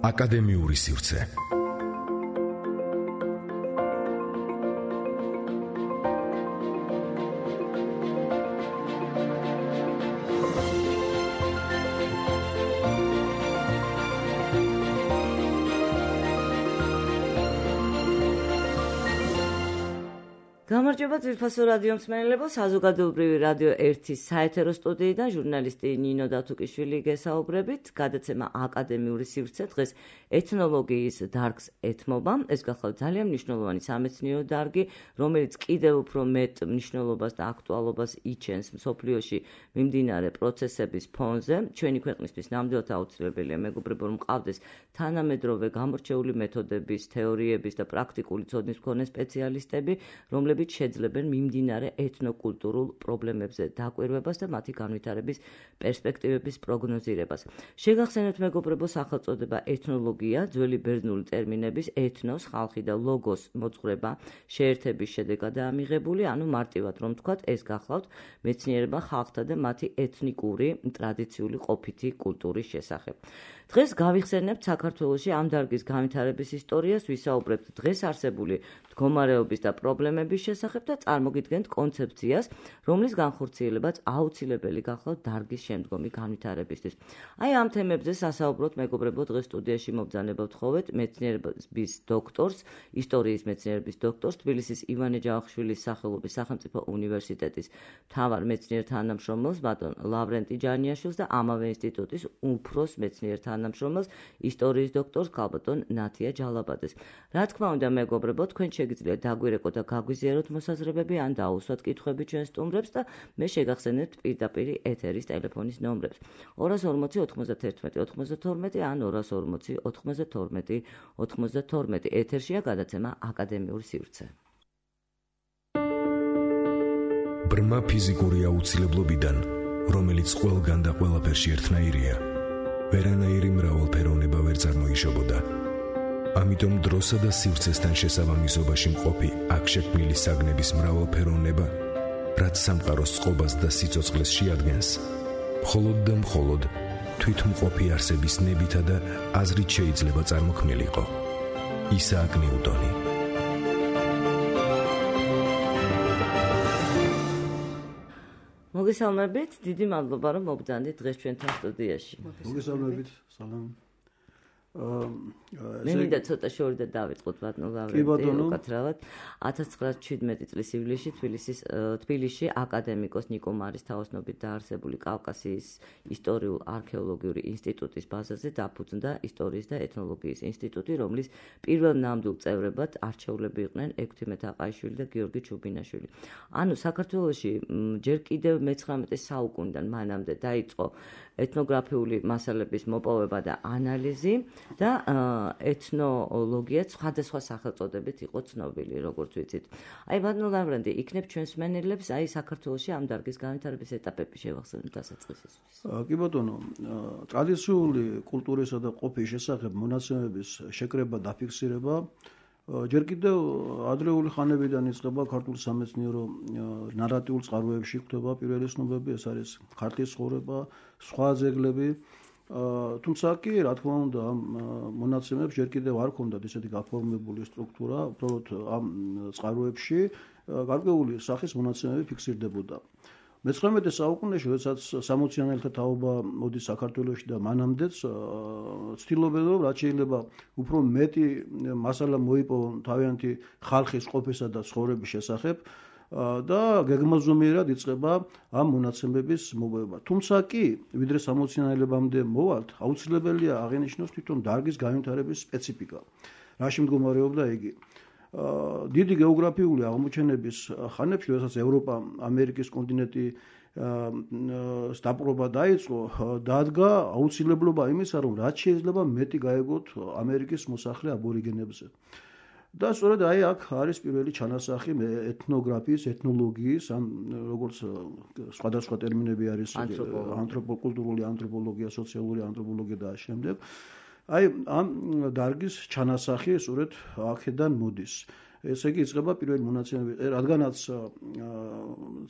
აკადემიური სივრცე. გამარჯობა ძვირფასო რადიო მსმენელებო, საზოგადოებრივი რადიო 1-ის საეთერო სტუდიიდან ჟურნალისტი ნინო დათუკიშვილი გესაუბრებით. გადაცემა აკადემიური სივრცე დღეს ეთნოლოგიის დარგს ეთმობა. ეს გახლავთ ძალიან მნიშვნელოვანი სამეცნიერო დარგი, რომელიც კიდევ უფრო მეტ მნიშვნელობას და აქტუალობას იჩენს მსოფლიოში მიმდინარე პროცესების ფონზე. ჩვენი ქვეყნისთვის ნამდვილად აუცილებელია მეგობრებო, რომ მყავდეს თანამედროვე გამორჩეული მეთოდების, თეორიების და პრაქტიკული ცოდნის მქონე სპეციალისტები, რომლებიც შეძლებენ მიმდინარე ეთნოკულტურულ პრობლემებზე დაკვირვებას და მათი განვითარების პერსპექტივების პროგნოზირებას. შეგახსენებთ მეგობრებო, სახელწოდება ეთნოლოგია ძველი ბერძნული ტერმინების ეთნოს, ხალხი და ლოგოს მოძღვრება შეერთების შედეგადაა მიღებული, ანუ მარტივად რომ ვთქვათ, ეს გახლავთ მეცნიერება ხალხთა და მათი ეთნიკური ტრადიციული ყოფითი კულტურის შესახებ. დღეს გავიხსენებთ საქართველოში ამ დარგის განვითარების ისტორიას, ვისაუბრებთ დღეს არსებული მდგომარეობის და პრობლემების შესახებ და წარმოგიდგენთ კონცეფციას, რომლის განხორციელებაც აუცილებელი გახლავთ დარგის შემდგომი განვითარებისთვის. აი ამ თემებზე სასაუბროთ მეგობრებო, დღეს სტუდიაში მობრძანება ვთხოვეთ მეცნიერების დოქტორს, ისტორიის მეცნიერების დოქტორს, თბილისის ივანე ჯავახიშვილის სახელობის სახელმწიფო უნივერსიტეტის მთავარ მეცნიერ თანამშრომელს, ბატონ ლავრენტი ჯანიაშვილს და ამავე ინსტიტუტის უფროს მეცნიერ თანამშრომელს, ისტორიის დოქტორს ქალბატონ ნათია ჯალაბაძეს. რა თქმა უნდა მეგობრებო, თქვენ შეგიძლიათ დაგვირეკოთ და გაგვიზიაროთ მოსაზრებები ან დაუსვათ კითხვები ჩვენ სტუმრებს და მე შეგახსენებთ პირდაპირ ეთერის ტელეფონის ნომრებს 240 91 92 ან 240 92 92. ეთერშია გადაცემა აკადემიური სივრცე. ბრმა ფიზიკური აუცილებლობიდან, რომელიც ყველგან და ყველაფერში ერთნაირია, ვერანაირი მრავალფეროვნება ვერ წარმოიშობოდა. ამიტომ დროსა და სივრცესთან შესაბამისობაში მყოფი აქ შექმნილი საგნების მრავალფეროვნება, რაც სამყაროს წყობას და სიცოცხლეს შეადგენს, მხოლოდ და მხოლოდ თვითმყოფი არსების ნებითა და აზრით შეიძლება წარმოქმნილიყო. ისააკ ნიუტონი. მოგესალმებით, დიდი მადლობა რომ მობრძანდით დღეს ჩვენთან სტუდიაში. მოგესალმებით, სალამ. მე მინდა ცოტა შორი და დავიწყოთ ბატონ ლავრენტი, უკაცრავად 1917 წლის ივლისში თბილისში აკადემიკოს ნიკო მარის თაოსნობით დაარსებული კავკასიის ისტორიულ-არქეოლოგიური ინსტიტუტის ბაზაზე დაფუძნდა ისტორიის და ეთნოლოგიის ინსტიტუტი, რომლის პირველ ნამდვილ წევრებად არჩეულები იყვნენ ექვთიმე თაყაიშვილი და გიორგი ჩუბინაშვილი. ანუ საქართველოში ჯერ კიდევ მე-19 საუკუნიდან მანამდე დაიწყო ეთნოგრაფიული მასალების მოპოვება და ანალიზი და ეთნოლოგია სხვადასხვა სახელწოდებით იყო ცნობილი, როგორც ვიცით. აი ბატონ ლავრენტი, იქნებ ჩვენს მსმენელებს აი საქართველოში ამ დარგის განვითარების ეტაპები შევახსენოთ დასაწყისისთვის. კი ბატონო, ტრადიციული კულტურისა და ყოფის შესახებ მონაცემების შეკრება და ფიქსირება ჯერ კიდევ ადრეული ხანებიდან იწყება ქართულ სამეცნიერო ნარატიულ წყაროებში, გვხვდება პირველი ცნობები, ეს არის ქართლის ცხოვრება, სხვა ძეგლები. თუმცა კი, რა თქმა უნდა, ამ მონაცემებს ჯერ კიდევ არ ჰქონდათ ისეთი გაფორმებული სტრუქტურა, უბრალოდ ამ წყაროებში გარკვეული სახის მონაცემები ფიქსირდებოდა. მე-19 საუკუნეში, როდესაც 60-იანელთა თაობა მოდის საქართველოში და მანამდეც ცდილობენ, რომ რაც შეიძლება უფრო მეტი მასალა მოიპოვონ თავიანთი ხალხის ყოფისა და ცხოვრების შესახებ და გეგმაზომიერად იწყება ამ მონაცემების მოპოვება. თუმცა კი, ვიდრე 60-იანელებამდე მოვალთ, აუცილებელია აღინიშნოს თვითონ დარგის განვითარების სპეციფიკა. რაში მდგომარეობდა იგი? დიდი გეოგრაფიული აღმოჩენების ხანებში, როდესაც ევროპა, ამერიკის კონტინენტი დაპყრობა დაიწყო, დადგა აუცილებლობა იმისა, რომ რაც შეიძლება მეტი გაეგოთ ამერიკის მოსახლე აბორიგენებზე. და სწორედ აი აქ არის პირველი ჩანასახი ეთნოგრაფიის, ეთნოლოგიის, ან როგორც სხვადასხვა ტერმინები არის ანთროპოკულტურული ანთროპოლოგია, სოციალური ანთროპოლოგია და შემდეგ. აი ამ დარგის ჩანასახი სწორედ აქედან მოდის. ესე იგი იწყება პირველი მონაცემები, რადგანაც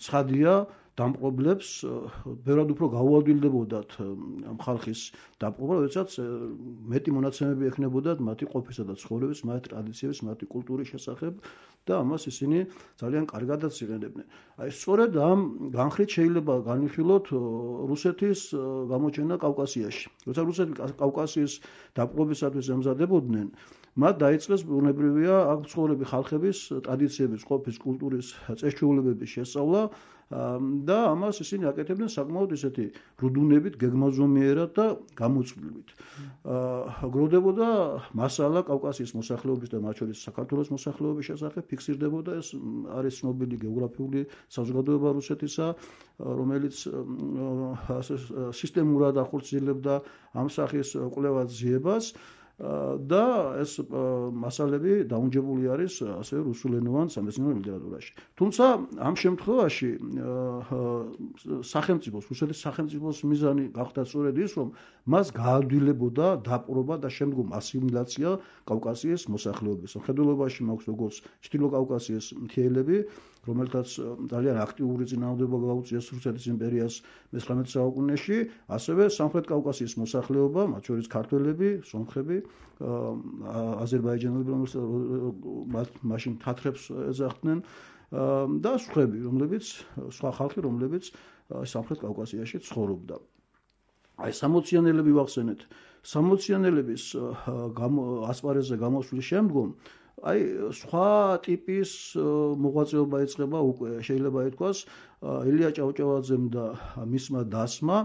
ცხადია დამპყრობლებს ბევრად უფრო გაუადვილდებოდათ ამ ხალხის დამპყრობა, როდესაც მეტი მონაცემები ექნებოდათ მათი ყოფისა და ცხოვრების, მათი ტრადიციების, მათი კულტურის შესახებ და ამას ისინი ძალიან კარგადაც იყენებდნენ. აი სწორედ ამ განხრით შეიძლება განვიხილოთ რუსეთის გამოჩენა კავკასიაში. როცა რუსები კავკასიის დაპყრობისათვის ემზადებოდნენ, მათ დაიწყეს ბუნებრივია აქ მცხოვრები ხალხების ტრადიციების, ყოფის, კულტურის, წესჩვეულებების შესწავლა და ამას ისინი აკეთებდნენ საკმაოდ ისეთი რუდუნებით, გეგმაზომიერად და გამოწვლილებით. გროვდებოდა მასალა კავკასიის მოსახლეობის და მათ შორის საქართველოს მოსახლეობის შესახებ, ფიქსირდებოდა ეს არის ცნობილი გეოგრაფიული საზოგადოება რუსეთისა, რომელიც სისტემურად ახორციელებდა ამ სახის კვლევას ძიებას. და ეს მასალები დაუნჯებული არის ასევე რუსულენოვან სამეცნიერო ლიტერატურაში. თუმცა ამ შემთხვევაში სახელმწიფოს, რუსეთის სახელმწიფოს მიზანი გახდა სწორედ ის, რომ მას გაადვილებოდა დაპყრობა და შემდგომ ასიმილაცია კავკასიის მოსახლეობის. მხედველობაში მაქვს როგორც ჩრდილო კავკასიის მთიელები, რომელთაც ძალიან აქტიური წინააღმდება გაუწიეს რუსეთის იმპერიას მე-19 საუკუნეში, ასევე სამხრეთ კავკასიის მოსახლეობა, მათ შორის ქართველები, სომხები, აზერბაიჯანელები, რომელსაც მაშინ თათრებს ეძახდნენ და სხვა ხალხი, რომლებიც სამხრეთ კავკასიაში ცხოვრობდა. აი 60-იანელები ვახსენეთ. 60-იანელების ასპარეზზე გამოსვლის შემდგომ აი სხვა ტიპის მოღვაწეობა იწყება უკვე შეიძლება ითქვას ილია ჭავჭავაძემ და მისმა დასმა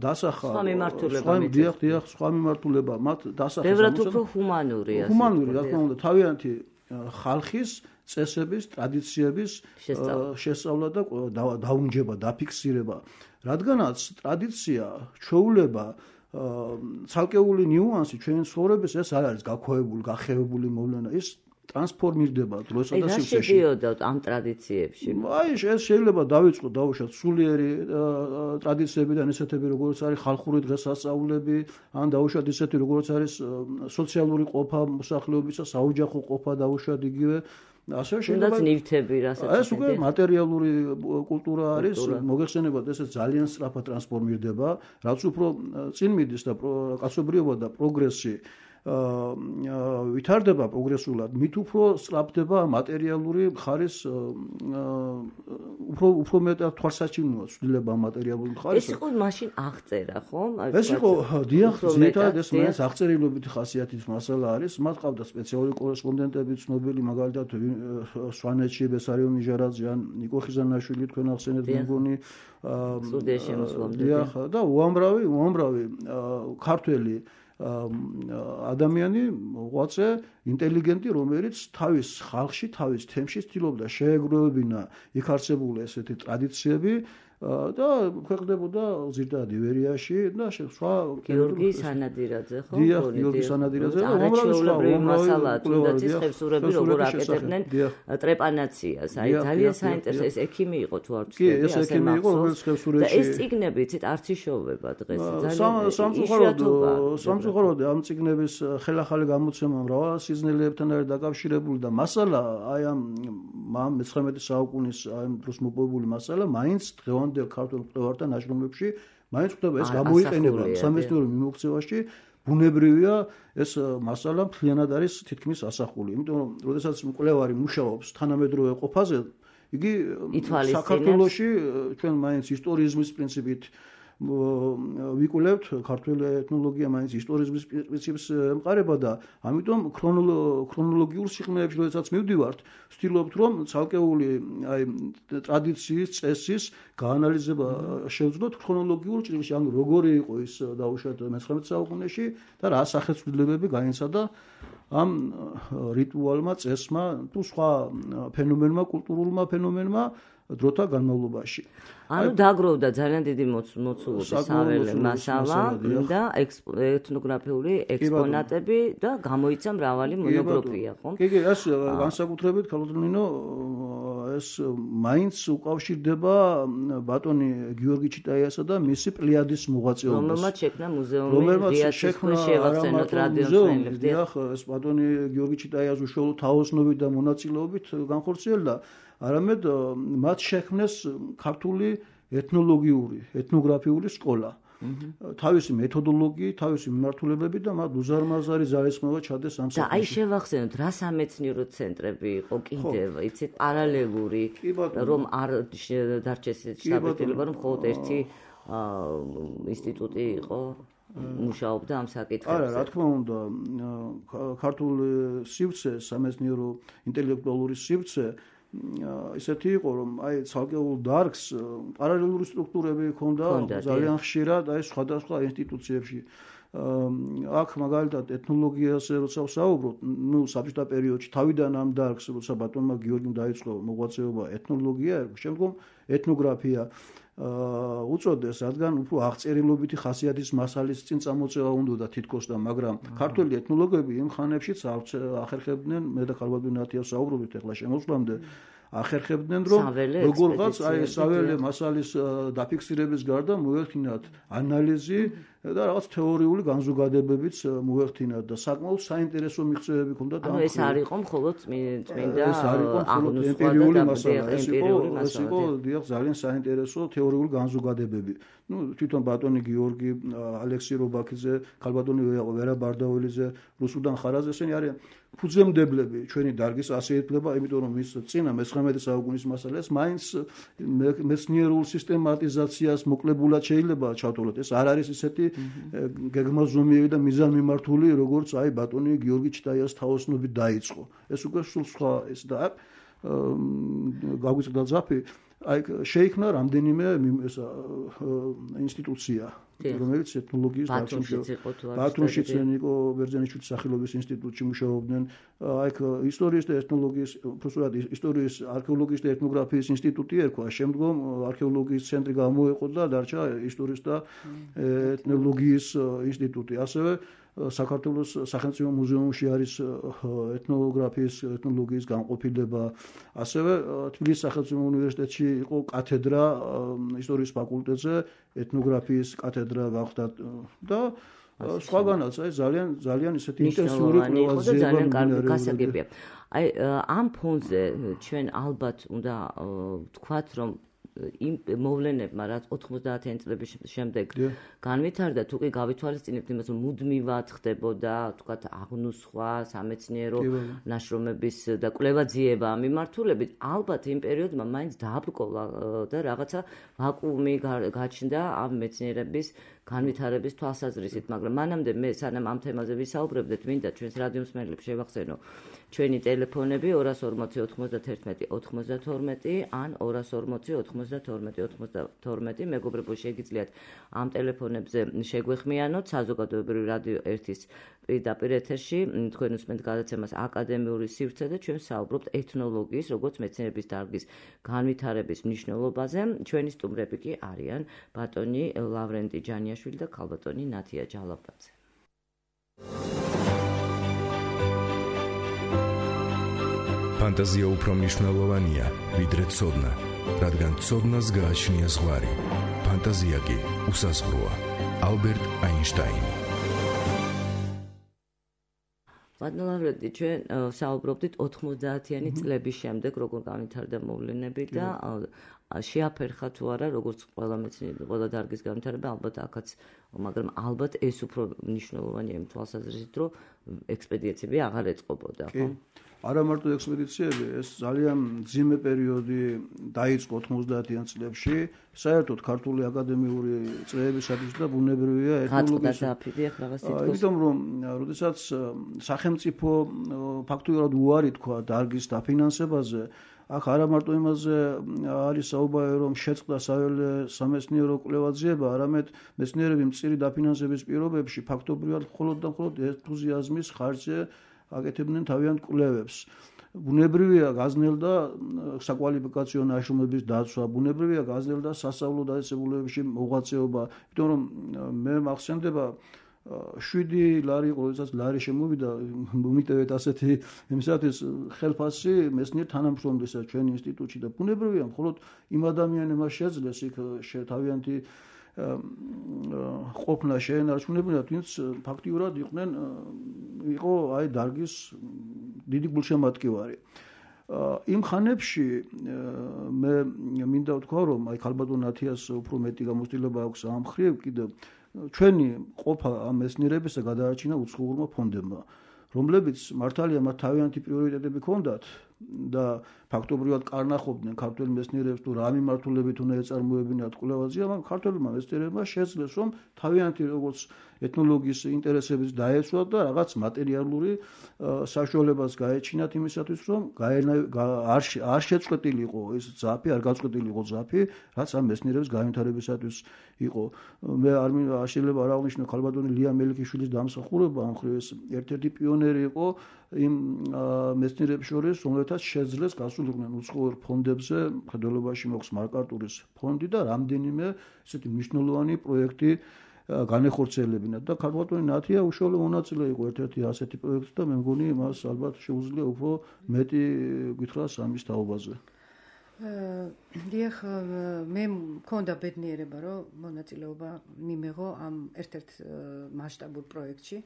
დასახა სხვა მიმართულება მათ დასახა ბევრად უფრო ჰუმანური რა თქმა უნდა თავიანთი ხალხის წესების ტრადიციების შესწავლა და დაუნჯება დაფიქსირება რადგანაც ტრადიცია ჩვეულება ცალკეული ნიუანსი ჩვენი ცხოვრების ეს არ არის გაქვეებული, გახევებული მოვლენა, ის ტრანსფორმირდება დროსა და სივრცეში. რა შედიოდა ამ ტრადიციებში? აი, ეს შეიძლება დავიწყოთ, დავუშვათ სულიერი ტრადიციებიდან ისეთები, როგორც არის ხალხური დღესასწაულები, ან დავუშვათ ისეთი, როგორც არის სოციალური ყოფა მოსახლეობისა, საოჯახო ყოფა დავუშვათ იგივე. ასე შეიძლება ნივთები რასაც ეს უკვე მატერიალური კულტურა არის, მოგეხსენებათ, ეს ძალიან სწრაფად ტრანსფორმირდება, რაც უფრო წინ მიდის და კაცობრიობა და პროგრესი ვითარდება პროგრესულად, მით უფრო სწრაფდება მატერიალური მხარის უფრო მეტად თვალსაჩინოა ცვლილება მატერიალური მხარის. ეს იყო მაშინ აღწერა, ხო? ეს იყო დიახ, ზედმეტად ეს მაინც აღწერილობითი ხასიათის მასალა არის. მათ ყავდა სპეციალური კორესპონდენტები, ცნობილი მაგალითად სვანეთში ბესარიონ ნიჟარაძე ან ნიკო ხიზანაშვილი თქვენ ახსენეთ მეგონი სტუდიაში მოსვლამდე. დიახ, და უამრავი ქართველი ადამიანი მოღვაწე ინტელიგენტი რომელიც თავის ხალხში თავის თემში ცდილობდა შეეგროვებინა იქ არსებული ესეთი ტრადიციები და ქვეყნდებოდა ზირდად ივერიაში და სხვა გიორგი სანადირაძე ხო? დიახ, გიორგი სანადირაძე და უამრავი მასალა თუნდაც ის ხევსურები როგორ აკეთებდნენ ტრეპანაციას. აი ძალიან საინტერესო ეს ექიმი იყო თუ არ ვცდები. კი, ეს ექიმი იყო რომელიც ხევსურეთში. და ეს წიგნები იცით არც იშოვება დღეს. სამწუხაროდ ამ წიგნების ხელახალი გამოცემა მრავალ სიზნელებთან არის დაკავშირებული და მასალა აი ამ მე-19 საუკუნის აი დროს მოპოვებული მასალა მაინც დღევანდელ ქართულ მკვლევართა ნაშრომებში მაინც ხდება ეს გამოიყენება სამეცნიერო მიმოქცევაში ბუნებრივია ეს მასალა მთლიანად არის თითქმის ასახული იმიტომ რომ როდესაც მკვლევარი მუშაობს თანამედროვე ყოფაზე იგი საქართველოში ჩვენ მაინც ისტორიზმის პრინციპით ვიკვლევთ ქართული ეთნოლოგია მაინც ისტორიზმის პრინციპს ემყარება და ამიტომ ქრონოლოგიურ სიღრმეებში როდესაც მივდივართ ვცდილობთ რომ ცალკეული აი ტრადიციის წესის გაანალიზება შევძლოთ ქრონოლოგიურ ჭრილში ანუ როგორი იყო ის დაუშვათ მე-19 საუკუნეში და რა სახეცვლილებები გაინცადა ამ რიტუალმა წესმა თუ სხვა ფენომენმა კულტურულმა ფენომენმა დროთა განმავლობაში. ანუ დაგროვდა ძალიან დიდი მოცულობის საველე მასალა და ეთნოგრაფიული ექსპონატები და გამოიცა მრავალი მონოგრაფია, ხო? კი, ეს განსაკუთრებით ქალოწინო ეს მაინც უკავშირდება ბატონი გიორგი ჩიტაიასა და მისი პლიადის მოღვაწეობას. რომელმაც შექმნა მუზეუმი რიაცის ქვეშ შევახსენოთ რადიომცნელებს. დიახ, ეს ბატონი გიორგი ჩიტაიას უშუალო თაოსნობით და მონაწილეობით განხორციელდა. არამედ მათ შექმნეს ქართული ეთნოლოგიური, ეთნოგრაფიული სკოლა. თავისი მეთოდოლოგიით, თავისი მიმართულებებით და მათ უზარმაზარი ძალისხმევა ჩადეს ამ საქმეში. და აი შევახსენოთ, რა სამეცნიერო ცენტრები იყო კიდევ, იცით, პარალელური, რომ არ დარჩეს შთაბეჭდილება, რომ მხოლოდ ერთი ინსტიტუტი იყო მუშაობდა ამ საკითხებზე. არა, რა თქმა უნდა, ქართული სივრცე, სამეცნიერო ინტელექტუალური სივრცე ისეთი იყო, რომ აი ცალკეულ დარგს პარალელური სტრუქტურები ჰქონდა ძალიან ხშირად აი სხვადასხვა ინსტიტუციებში. აქ მაგალითად ეთნოლოგიაზე როცა ვსაუბრობ, საბჭოთა პერიოდში თავიდან ამ დარგს როცა ბატონმა გიორგიმ დაიწყო მოღვაწეობა ეთნოლოგია, შემდგომ ეთნოგრაფია უწოდეს, რადგან უფრო აღწერილობითი ხასიათის მასალის წინ წამოწევა უნდა თითქოს და მაგრამ ქართველი ეთნოლოგები იმ ხანებშიც ახერხებდნენ, მე და ქალბატონი ნათია საუბრობთ ახლა შემოსვლამდე, ახერხებდნენ რომ როგორღაც აი საველე მასალის დაფიქსირების გარდა მოეხდინათ ანალიზი და რაღაც თეორიული განზოგადებებიც მოეხდინათ და საკმაოდ საინტერესო მიღწევები ჰქონდა და ეს არ იყო მხოლოდ წმინდა ემპირიული მასალა, ეს იყო დიახ ძალიან საინტერესო თეორიული განზოგადებები. თვითონ ბატონი გიორგი, ალექსი რობაქიძე, ქალბატონი ვერა ბარდაველიძე, რუსუდან ხარაზ ესენი არიან ფუძემდებლები ჩვენი დარგის ასეეთლება, იმიტომ რომ ის წინა მე-19 საუკუნის მასალას მაინც მეცნიერულ სისტემატიზაციას მოკლებულად შეიძლება ჩავთვალოთ. ეს არ არის ისეთი გეგმაზომიერი და მიზანმიმართული, როგორც აი ბატონი გიორგი ჩიტაიას თაოსნობით დაიწყო. ეს უკვე სულ სხვა ეს და გაგვიწყდა ძაფი, აი შეიქმნა რამდენიმე ინსტიტუცია, რომელიც ეთნოლოგიის ბათუმშიც ნიკო ბერძენიშვილის სახელობის ინსტიტუტში მუშაობდნენ, აი ისტორიის და ეთნოლოგიის, უბრალოდ ისტორიის, არქეოლოგიის და ეთნოგრაფიის ინსტიტუტი ერქვა, შემდგომ არქეოლოგიის ცენტრი გამოეყო და დარჩა ისტორიის და ეთნოლოგიის ინსტიტუტი. ასევე საქართველოს სახელმწიფო მუზეუმში არის ეთნოგრაფიის, ეთნოლოგიის განყოფილება. ასევე თბილისის სახელმწიფო უნივერსიტეტში იყო კათედრა ისტორიის ფაკულტეტზე, ეთნოგრაფიის კათედრა გახდა და სხვაგანაც აი ძალიან ისეთი ინტენსიური კვლევაზეება ძალიან კარგი გასაგებია. აი ამ ფონზე ჩვენ ალბათ უნდა ვთქვათ, რომ იმ მოვლენებმა, რაც 90-იანი წლების შემდეგ განვითარდა, თუ კი გავითვალისწინებთ იმას, რომ მუდმივად ხდებოდა, თქვათ, აღნუსხვა, სამეცნიერო ნაშრომების და კვლევაძიება მიმართულებით, ალბათ იმ პერიოდმა მაინც დააბრკოლა და რაღაცა ვაკუუმი გაჩნდა ამ მეცნიერების განვითარების თვალსაზრისით, მაგრამ მანამდე მე სანამ ამ თემაზე ვისაუბრებდეთ, მინდა ჩვენს რადიო მსმენელებს შევახსენო ჩვენი ტელეფონები 240 91 92 ან 240 92 მეგობრებო, შეგიძლიათ ამ ტელეფონებზე შეგვეხმიანოთ საზოგადოებრივი რადიო 1-ის პირდაპირ ეთერში. თქვენ უსმენთ გადაცემას აკადემიური სივრცე და ჩვენ საუბრობთ ეთნოლოგიის, როგორც მეცნიერების დარგის განვითარების მნიშვნელობაზე. ჩვენი სტუმრები კი არიან ბატონი ლავრენტი ჯანიაშვილი და ქალბატონი ნათია ჯალაბაძე. ფანტაზია უფრო მნიშვნელოვანია, ვიდრე ცოდნა, რადგან ცოდნას გააჩნია ზღვარი. ფანტაზია კი უსაზღვროა. ალბერტ აინშტაინი. ბატონ ლავრენტი, ჩვენ საუბრობდით 90-იანი წლების შემდეგ, როგორ განვითარდა მოვლენები და შეაფერხა თუ არა, როგორც ყველა მეცნიერი, ყველა დარგის განვითარება, ალბათ აქაც, მაგრამ ალბათ ეს უფრო მნიშვნელოვანია იმ თვალსაზრისით, რომ ექსპედიციები აღარ ეწყობოდა, ხო? არა მარტო ექსპედიციები, ეს ძალიან მძიმე პერიოდი დაიწყო 90-იან წლებში. საერთოდ ქართული აკადემიური წრეებისათვის და ბუნებრივია ეთნოლოგიის. იმიტომ რომ როდესაც სახელმწიფო ფაქტობრივად უარი თქვა დარგის დაფინანსებაზე, აქ არა მარტო იმაზე არის საუბარი, რომ შეწყდა საველე სამეცნიერო კვლევაძიება, არამედ მეცნიერები მწირი დაფინანსების პირობებში ფაქტობრივად მხოლოდ და მხოლოდ ენთუზიაზმის ხარჯზე აკეთებდნენ თავიანთ კვლევებს. ბუნებრივია გაზნელდა საკვალიფიკაციო ნაშრომების დაცვა, ბუნებრივია გაზნელდა სასწავლო დაწესებულებებში მოღვაწეობა, იმიტომ რომ მე მახსენდება 7 ლარი იყო, როდესაც ლარი შემოვიდა, მომიტევეთ ასეთი იმისათვის ხელფასი მეცნიერ თანამშრომლისა ჩვენ ინსტიტუტში და ბუნებრივია მხოლოდ იმ ადამიანებმა შეძლეს იქ თავიანთი ყოფნა შეენარჩუნებინათ, ვინც ფაქტიურად იყო აი დარგის დიდი გულშემატკივარი. იმ ხანებში მე მინდა ვთქვა, რომ აი ქალბატონ ათიას უფრო მეტი გამოცდილება აქვს ამ მხრივ, კიდევ ჩვენი ყოფა ამ მეცნიერებისა გადაარჩინა უცხოურმა ფონდებმა, რომლებიც მართალია მათ თავიანთი პრიორიტეტები ჰქონდათ და ფაქტობრივად კარნახობდნენ ქართველ მეცნიერებს თუ რა მიმართულებით უნდა ეწარმოებინათ კვლევაზე, მაგრამ ქართველმა მეცნიერებმა შეძლეს რომ თავიანთი როგორც ეთნოლოგიის ინტერესებიც დაეცვათ და რაღაც მატერიალური საშუალებას გაეჩინათ იმისათვის, რომ არ შეწყვეტილიყო ეს ძაფი, არ გაწყვეტილიყო ძაფი, რაც ამ მეცნიერების განვითარებისათვის იყო. მე არ შეიძლება არ აღნიშნო ქალბატონი ლია მელიქიშვილის დამსახურება ამ მხრივ ეს ერთ-ერთი პიონერი იყო იმ მეცნიერებს შორის, რომელთაც შეძლეს გასულიყვნენ უცხოურ ფონდებზე, მხედველობაში მოხს მარკარტურის ფონდი და რამდენიმე ესეთი მნიშვნელოვანი პროექტი განეხორციელებინა და ქალბატონი ნათია უშუალო მონაწილე იყო ერთ-ერთი ასეთი პროექტი და მე მგონი მას ალბათ შეუძლია უფრო მეტი გითხრას ამის თაობაზე. დიახ, მე მქონდა ბედნიერება, რომ მონაწილეობა მიმეღო ამ ერთ-ერთ მასშტაბურ პროექტში,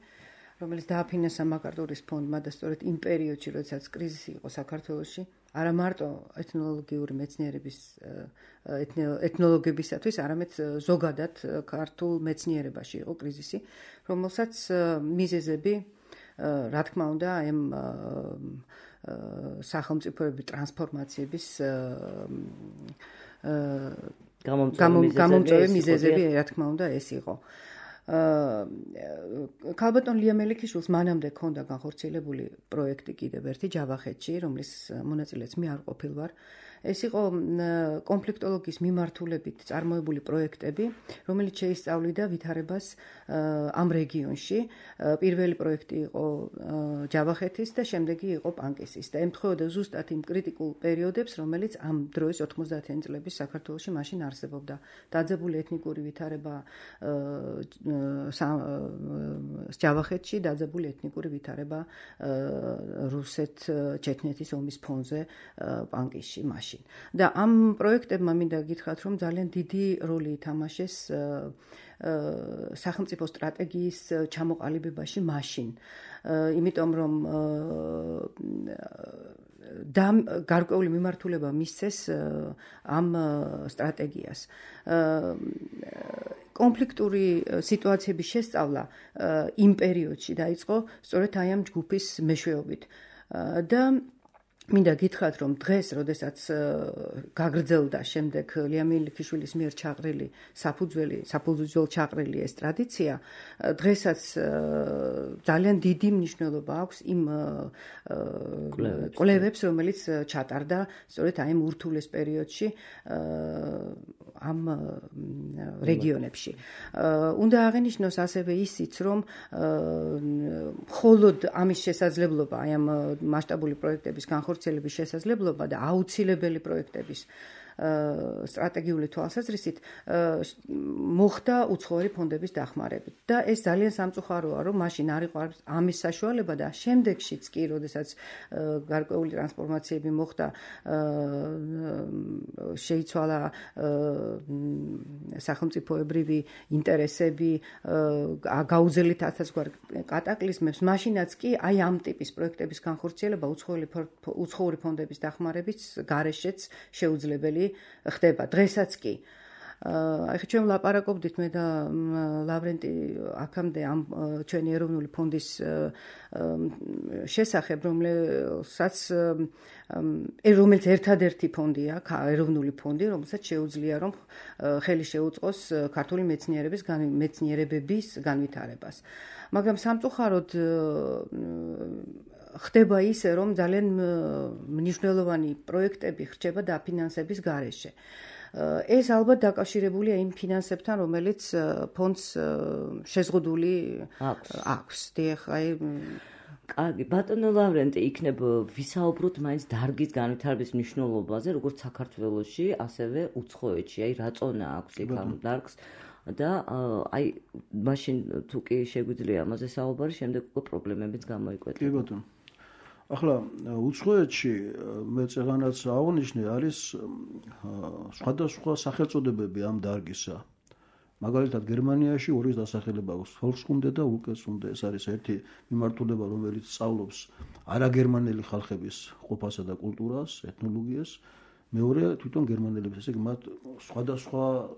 რომელიც დააფინანსა მაკარტურის ფონდმა და სწორედ იმ პერიოდში, როდესაც კრიზისი იყო საქართველოში, არა მარტო ეთნოლოგიური მეცნიერების ეთნოლოგებისათვის, არამედ ზოგადად ქართულ მეცნიერებაში იყო კრიზისი, რომელსაც მიზეზები, რა თქმა უნდა, ამ სახელმწიფოების ტრანსფორმაციების გამომწვევი მიზეზები, რა თქმა უნდა, ეს იყო. ქალბატონ ლია მელიქიშვილს მანამდე ჰქონდა განხორციელებული პროექტი კიდევ ერთი ჯავახეთში, რომლის მონაწილეც მე არ ყოფილ ვარ. ეს იყო კონფლიქტოლოგიის მიმართულებით წარმოებული პროექტები, რომელიც შეისწავლიდა ვითარებას ამ რეგიონში. პირველი პროექტი იყო ჯავახეთის და შემდეგი იყო პანკისის და ემთხვეოდა ზუსტად იმ კრიტიკულ პერიოდებს, რომელიც ამ დროის 90-იანი წლების საქართველოში მაშინ არსებობდა. დაძაბული ეთნიკური ვითარება ჯავახეთში, დაძაბული ეთნიკური ვითარება რუსეთ-ჩეჩნეთის ომის ფონზე პანკისში მაშინ. და ამ პროექტებმა მინდა გითხრათ, რომ ძალიან დიდი როლი ითამაშეს სახელმწიფო სტრატეგიის ჩამოყალიბებაში მაშინ. იმიტომ რომ გარკვეული მიმართულება მისცეს ამ სტრატეგიას. კონფლიქტური სიტუაციების შესწავლა იმ პერიოდში დაიწყო სწორედ აი ამ ჯგუფის მეშვეობით. და მინდა გითხრათ, რომ დღეს, როდესაც გაგრძელდა შემდეგ ლია მელიქიშვილის მიერ ჩაყრილი საფუძველ ჩაყრილი ეს ტრადიცია, დღესაც ძალიან დიდი მნიშვნელობა აქვს იმ კვლევებს, რომელიც ჩატარდა სწორედ აი ამ ურთულეს პერიოდში ამ რეგიონებში. უნდა აღინიშნოს ასევე ისიც, რომ მხოლოდ ამის შესაძლებლობა, აი ამ მასშტაბური პროექტების განხორციელების შესაძლებლობა და აუცილებელი პროექტების სტრატეგიული თვალსაზრისით მოხდა უცხოური ფონდების დახმარებით. და ეს ძალიან სამწუხაროა, რომ მაშინ არ იყო ამის საშუალება და შემდეგშიც კი, როდესაც გარკვეული ტრანსფორმაციები მოხდა, შეიცვალა სახელმწიფოებრივი ინტერესები, გაუძლით ასაცგვარ კატაკლიზმებს, მაშინაც კი აი ამ ტიპის პროექტების განხორციელება უცხოური ფონდების დახმარების გარეშეც შეუძლებელი ხდება. დღესაც კი. ახლა ჩვენ ვლაპარაკობდით მე და ლავრენტი აქამდე ამ ჩვენი ეროვნული ფონდის შესახებ, რომელიც ერთადერთი ფონდია, ეროვნული ფონდი, რომელსაც შეუძლია რომ ხელი შეუწყოს ქართული მეცნიერებების განვითარებას. მაგრამ სამწუხაროდ ხდება ისე, რომ ძალიან მნიშვნელოვანი პროექტები ხდება დაფინანსების გარეშე. ეს ალბათ დაკავშირებულია იმ ფინანსებთან, რომელიც ფონდს შეზღუდული აქვს. კარგი, ბატონო ლავრენტი, იქნებ ვისაუბროთ მაინც დარგის განვითარების მნიშვნელობაზე, როგორც საქართველოში, ასევე უცხოეთში. აი რა წონა აქვს იქ ამ დარგს და აი მაშინ თუ კი შეგვიძლია ამაზე საუბარი, შემდეგ უკვე პრობლემებიც გამოიკვეთა. კი ბატონო. ახლა უცხოეთში მე წეგანაც აღნიშნე არის სხვადასხვა სახელწოდებები ამ დარგისა. მაგალითად გერმანიაში ორი დასახელება აქვს, Volkskunde და Ulkeskunde. ეს არის ერთი მიმართულება, რომელიც სწავლობს არაგერმანელი ხალხების ყოფასა და კულტურას, ეთნოლოგიას. მეორე თვითონ გერმანელებს, ესე იგი მათ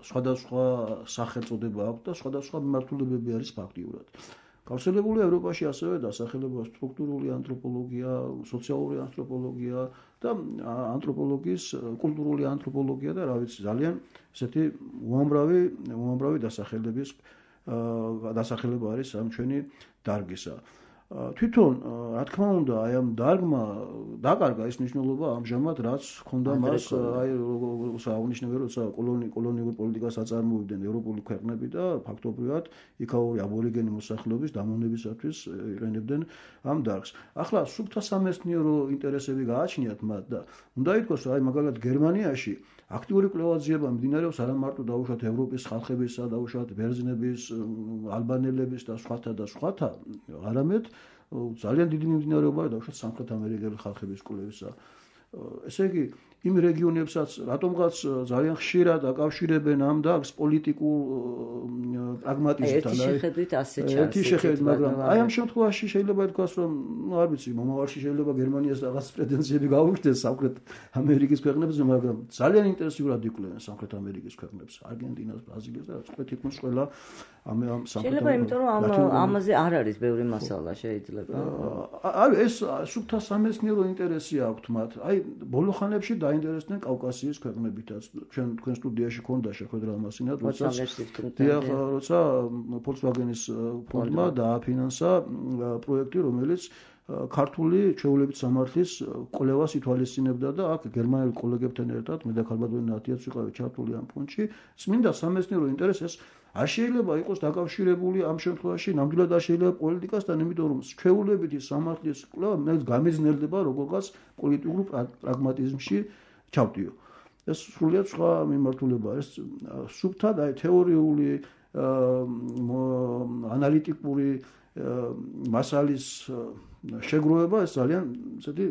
სხვადასხვა სახელწოდება აქვს და სხვადასხვა მიმართულებები არის ფაქტიურად. გავრცელებულია ევროპაში ასევე დასახელება სტრუქტურული ანთროპოლოგია, სოციალური ანთროპოლოგია და ანთროპოლოგიის კულტურული ანთროპოლოგია და რა ვიცი, ძალიან ესეთი უამრავი დასახელება არის ამ ჩვენი დარგისა. თვითონ, რა თქმა უნდა, აი ამ დარგმა დაკარგა ის მნიშვნელობა ამჟამად, რაც ჰქონდა მას, აი როგორც აღნიშნე, როცა კოლონიურ პოლიტიკას აწარმოებდნენ ევროპული ქვეყნები და ფაქტობრივად იქაური აბორიგენი მოსახლეობის დამონებისათვის იყენებდნენ ამ დარგს. ახლა სუფთა სამეცნიერო ინტერესები გააჩნიათ მათ და უნდა ითქვას, აი მაგალითად გერმანიაში აქტიური კვლევა-ძიება მიმდინარეობს არა მარტო დაუშვათ ევროპის ხალხებისა, დაუშვათ ბერძნების, ალბანელების და სხვათა, არამედ ძალიან დიდი მიმდინარეობაა დაუშვათ სამხრეთ ამერიკელი ხალხების კვლევისა. ესე იგი, იმ რეგიონებსაც რატომღაც ძალიან ხშირად აკავშირებენ ამ დარგს პოლიტიკურ პრაგმატიზმთან. ერთი შეხედვით, მაგრამ აი ამ შემთხვევაში შეიძლება ითქვას, რომ არ ვიცი, მომავალში შეიძლება გერმანიას რაღაც პრეტენზიები გაუჩნდეს სამხრეთ ამერიკის ქვეყნებზე, მაგრამ ძალიან ინტენსიურად იკვლევენ სამხრეთ ამერიკის ქვეყნებს, არგენტინას, ბრაზილიას და რაც თითქმის ყველა ამ სამხრეთ. შეიძლება იმიტომ რომ ამაზე არ არის ბევრი მასალა შეიძლება. ეს სუფთა სამეცნიერო ინტერესი აქვთ მათ. აი ბოლო ხანებში დაინტერესდნენ კავკასიის ქვეყნებითაც. თქვენ სტუდიაში ქონდა შეხვედრა მასინად, როცა Volkswagen-ის ფონდმა დააფინანსა პროექტი, რომელიც ქართული ჩვეულებით სამართლის კვლევას ითვალისწინებდა და აქ გერმანელ კოლეგებთან ერთად მე და ქალბატონი ნათიაც ვიყავით ჩართული ამ ფონდში. წმინდა სამეცნიერო ინტერესს არ შეიძლება იყოს დაკავშირებული ამ შემთხვევაში ნამდვილად არ შეიძლება პოლიტიკასთან, იმიტომ რომ ჩვეულებითი სამართლის კვლევა გამიზნელდება როგორღაც პოლიტიკურ პრაგმატიზმში ჩავდიო. ეს სრულიად სხვა მიმართულებაა. ეს სუფთად აი თეორიული ანალიტიკური მასალის შეგროვება ეს ძალიან ესეთი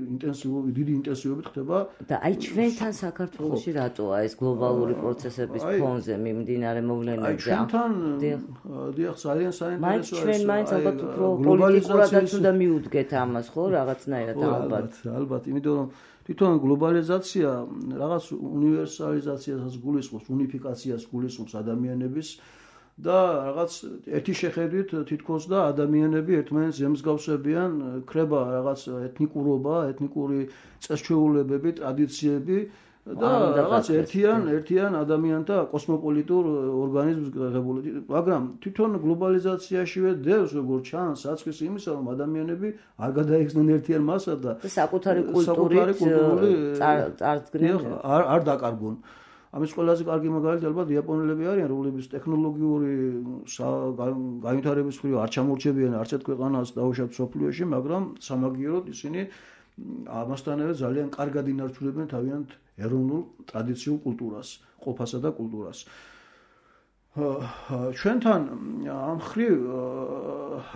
დიდი ინტენსივობით ხდება და აი ჩვენთან საქართველოში რატოა ეს გლობალური პროცესების ფონზე მიმდინარე მოვლენებზე ჩვენთან დიახ ძალიან საინტერესოა ჩვენ მაინც ალბათ უფრო პოლიტიკურადაც უნდა მიუდგეთ ამას ხო რაღაცნაირად ალბათ იმიტომ რომ თვითონ გლობალიზაცია რაღაც უნივერსალიზაციასაც გულისხმობს უნიფიკაციას გულისხმობს ადამიანების და რაღაც ერთი შეხედვით თითქოს და ადამიანები ერთმანეთს ემსგავსებიან, ქრება რაღაც ეთნიკურობა, ეთნიკური წესჩვეულებები, ტრადიციები და რაღაც ერთიან ადამიანთა კოსმოპოლიტურ ორგანიზმს ღებული. მაგრამ თვითონ გლობალიზაციაშივე დევს როგორც ჩანს საწყის იმისა, რომ ადამიანები არ გადაიხსნენ ერთიან მასად და საკუთარი კულტურით წარდგნენ არ დაკარგონ. ამის ყველაზე კარგი მაგალითი ალბათ იაპონელები არიან, რომლებიც ტექნოლოგიური განვითარების მხრივ არ ჩამორჩებიან არც ერთ ქვეყანას დაუშვათ მსოფლიოში, მაგრამ სამაგიეროდ ისინი ამასთანავე ძალიან კარგად ინარჩუნებენ თავიანთ ეროვნულ ტრადიციულ კულტურას, ყოფასა და კულტურას. ჩვენთან ამ მხრივ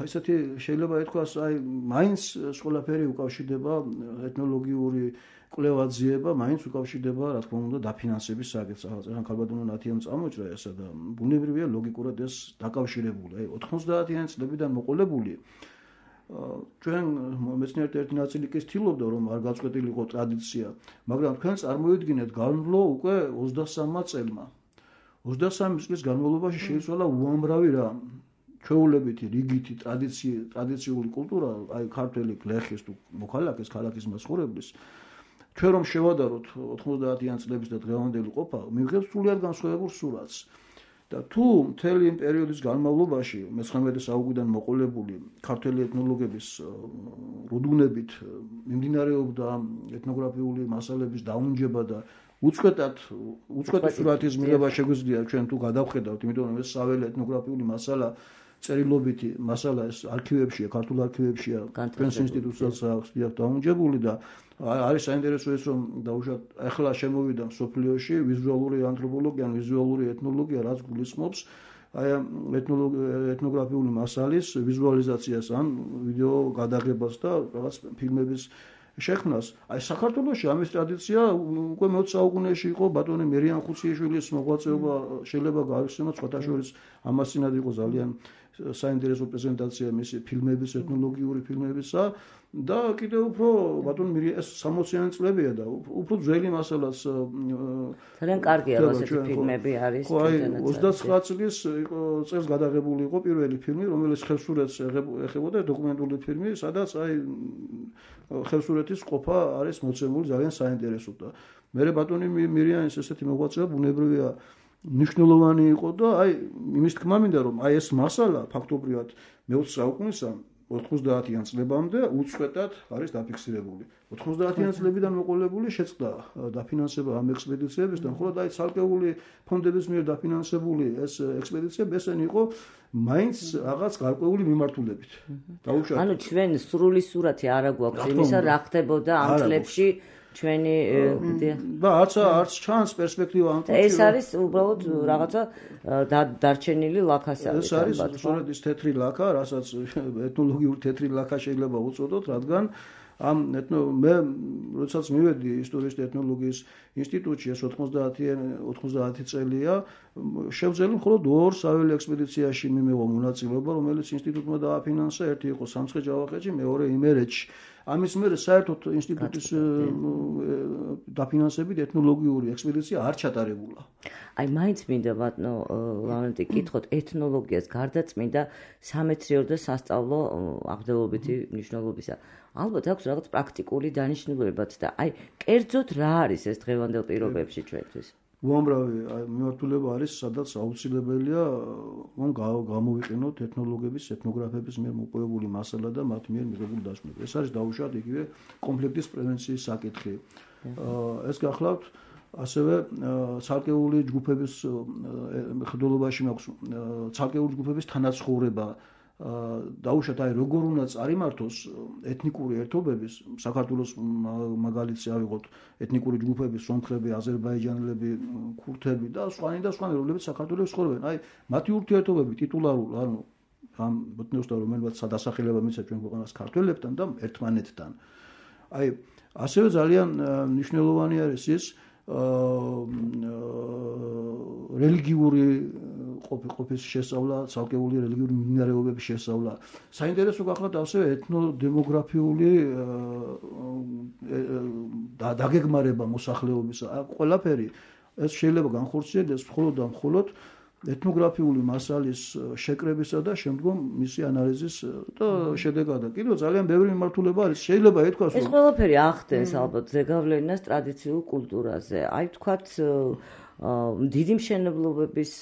ესეთი შეიძლება ითქვას, აი მაინც ყველაფერი უკავშირდება ეთნოლოგიური კვლევა-ძიება მაინც უკავშირდება, რა თქმა უნდა, დაფინანსების საკითხს. ახლა ქალბატონო ნათიამ წამოჭრა ესა და ბუნებრივია ლოგიკურად ეს დაკავშირებული. აი 90-იანი წლებიდან მოყოლებული ჩვენ მეცნიერთა ერთი ნაწილი კი ცდილობდა, რომ არ გაწყვეტილიყო ტრადიცია, მაგრამ თქვენ წარმოიდგინეთ, განვლო უკვე 23 წელმა. 23 წლის განმავლობაში შეიცვალა უამრავი რამ. ჩვეულებითი, რიგითი ტრადიციული კულტურა, აი ქართველი გლეხის თუ მოქალაქის, ქალაქის მაცხოვრებლის ჩვენ რომ შევადაროთ 90-იან წლების და დღევანდელი ყოფა, მივიღებთ სრულიად განსხვავებულ სურათს. და თუ მთელი იმ პერიოდის განმავლობაში 19 საუკუნიდან მოყოლებული ქართველი ეთნოლოგების რუდუნებით მიმდინარეობდა ეთნოგრაფიული მასალების დაუნჯება და უწყვეტი სურათის მიღება შეგვიძლია ჩვენ თუ გადავხედავთ, იმიტომ რომ ეს საველე ეთნოგრაფიული მასალა წერილობითი მასალა ეს არქივებშია, ქართულ არქივებშია, ჩვენს ინსტიტუტსაც აქვს დაუნჯებული და არის საინტერესო ის რომ დაუშვათ ახლა შემოვიდა მსოფლიოში ვიზუალური ანთროპოლოგია, ვიზუალური ეთნოლოგია, რაც გულისხმობს აი ეთნოგრაფიული მასალის ვიზუალიზაციას ან ვიდეო გადაღებას და რაღაც ფილმების შექმნას. აი საქართველოში ამის ტრადიცია უკვე მე-20 საუკუნეში იყო ბატონი მერიან ხუციაშვილის მოღვაწეობა შეიძლება გაიხსენოთ სხვათა შორის ამასინად იყო ძალიან საინტერესო პრეზენტაცია მისი ფილმების ეთნოლოგიური ფილმებისა და კიდევ უფრო ბატონ ეს 60-იანი წლებია და უფრო ძველი მასალაც ძალიან კარგია ასეთი ფილმები არის. ხო აი 29 წლის წელს გადაღებული იყო პირველი ფილმი რომელიც ხევსურეთს ეხებოდა დოკუმენტური ფილმი სადაც აი ხევსურეთის ყოფა არის მოცემული ძალიან საინტერესო და მე ბატონი მირიანის ესეთი მოღვაწეობა ბუნებრივია ნიშნულოვანი იყო და აი იმის თქმა მინდა რომ აი ეს მასალა ფაქტობრივად მე-20 საუკუნისა 90-იან წლებამდე უწყვეტად არის დაფიქსირებული. 90-იან წლებიდან მოყოლებული შეწყდა დაფინანსება ამ ექსპედიციებისგან, ხოლო აი ცალკეული ფონდების მიერ დაფინანსებული ეს ექსპედიციები ესენი იყო მაინც რაღაც გარკვეული მიმართულებით. დაუშვათ. ანუ ჩვენ სრული სურათი არა გვაქვს იმისა რა ხდებოდა ამ წლებში ჩვენი და არც ჩანს პერსპექტივა ამ წლებში. ეს არის უბრალოდ რაღაცა დარჩენილი ლაქასა. ეს არის სწორედ ის თეთრი ლაქა, რასაც ეთნოლოგიური თეთრი ლაქა შეიძლება უწოდოთ, რადგან ამ მე როდესაც მივედი ისტორიის და ეთნოლოგიის ინსტიტუტში ეს 90 წელია შევძელი მხოლოდ 2 საველე ექსპედიციაში მიმევა მონაწილეობა რომელიც ინსტიტუტმა დააფინანსა ერთი იყო სამცხე-ჯავახეთში მეორე იმერეთში ამის მერე საერთოდ ინსტიტუტის დაფინანსებით ეთნოლოგიური ექსპედიცია არ ჩატარებულა. აი მაინც მინდა ბატონო ლავრენტი კითხოთ ეთნოლოგიას გარდა წმინდა სამეცნიერო და სასწავლო აღდგენილობითი მნიშვნელობისა. ალბათ აქვს რაღაც პრაქტიკული დანიშნულებაც და აი კერძოდ რა არის ეს დღევანდელ პირობებში ჩვენთვის? უამრავი მიმართულება არის, სადაც აუცილებელია გამოვიყენოთ ეთნოლოგების, ეთნოგრაფების მიერ მოპოვებული მასალა და მათ მიერ მიღებული დასკვნები. ეს არის დაუშვათ იგივე კონფლიქტის პრევენციის საკითხი. ეს გახლავთ ასევე ცალკეული ჯგუფების ხდულობაში მაქვს ცალკეული ჯგუფების თანაცხოვრება დაუშვათ აი როგორ უნდა წარიმართოს ეთნიკური ერთობების საქართველოს მაგალითზე ავიღოთ ეთნიკური ჯგუფები სომხები, აზერბაიჯანელები, ქურთები და სხვანი რომლებიც საქართველოს ცხოვრობენ. აი მათი ურთიერთობები ტიტულარულ ანუ ამ ბოტნიოსთან რომელსაც სადასახელება მისცა ჩვენ ქვეყანას ქართველებთან და ერთმანეთთან. აი ასევე ძალიან მნიშვნელოვანი არის ის რელიგიური ყოფის შესწავლა, ცალკეული რელიგიური მიმდინარეობების შესწავლა. საინტერესო გახლავთ ასევე ეთნოდემოგრაფიული დაგეგმარება მოსახლეობისა. ყველაფერი ეს შეიძლება განხორციელდეს მხოლოდ და მხოლოდ ეთნოგრაფიული მასალის შეკრებისა და შემდგომ მისი ანალიზის და შედეგად. კიდევ ძალიან ბევრი მიმართულება არის. შეიძლება ითქვას, რომ ეს ყველაფერი ახდენს ალბათ ზეგავლენას ტრადიციულ კულტურაზე. აი თქვათ დიდი მშენებლობების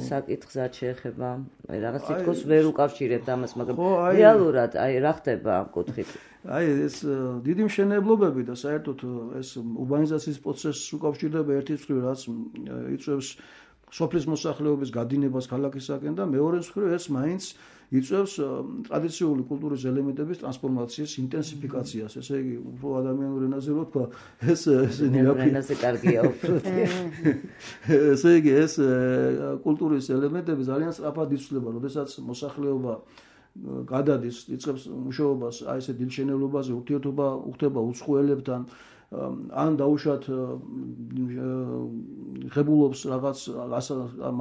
საკითხსაც შეეხება. აი რაღაც თითქოს ვერ უკავშირებთ ამას, მაგრამ რეალურად აი რა ხდება ამ კუთხით? აი ეს დიდი მშენებლობები და საერთოდ ეს ურბანიზაციის პროცესს უკავშირდება ერთის მხრივ, რაც იწვევს სოფლის მოსახლეობის გადინებას ქალაქისაკენ და მეორეს მხრივ ეს მაინც იწვევს ტრადიციული კულტურის ელემენტების ტრანსფორმაციის ინტენსიფიკაციას. ესე იგი, უფრო ადამიანურ ენაზე რო თქვა, ეს ენაზე კარგია უფრო. ესე იგი, ეს კულტურის ელემენტები ძალიან სწრაფად იცვლება, როდესაც მოსახლეობა გადადის, იწყებს მუშაობას აი ესე დიდ მშენებლობაზე, ურთიერთობა უხდება უცხოელებთან ან დაუშვათ ღებულობს რაღაც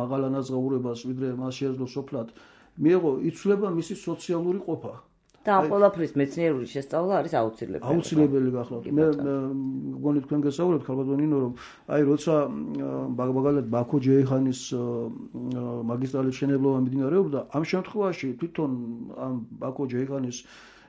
მაღალანაზღაურებას, ვიდრე მას შეეძლო სოფლად, მიიღო იცვლება მისი სოციალური ყოფა. და ამ ყველაფრის მეცნიერული შესწავლა არის აუცილებელი. აუცილებელი გახლავთ. მე მგონი თქვენ გესაუბრებთ ხალბატონინო, რომ აი როცა მაგალითად ბაქო ჯეიხანის მაგისტრალის მშენებლობა მიმდინარეობდა, ამ შემთხვევაში თვითონ ამ ბაქო ჯეიხანის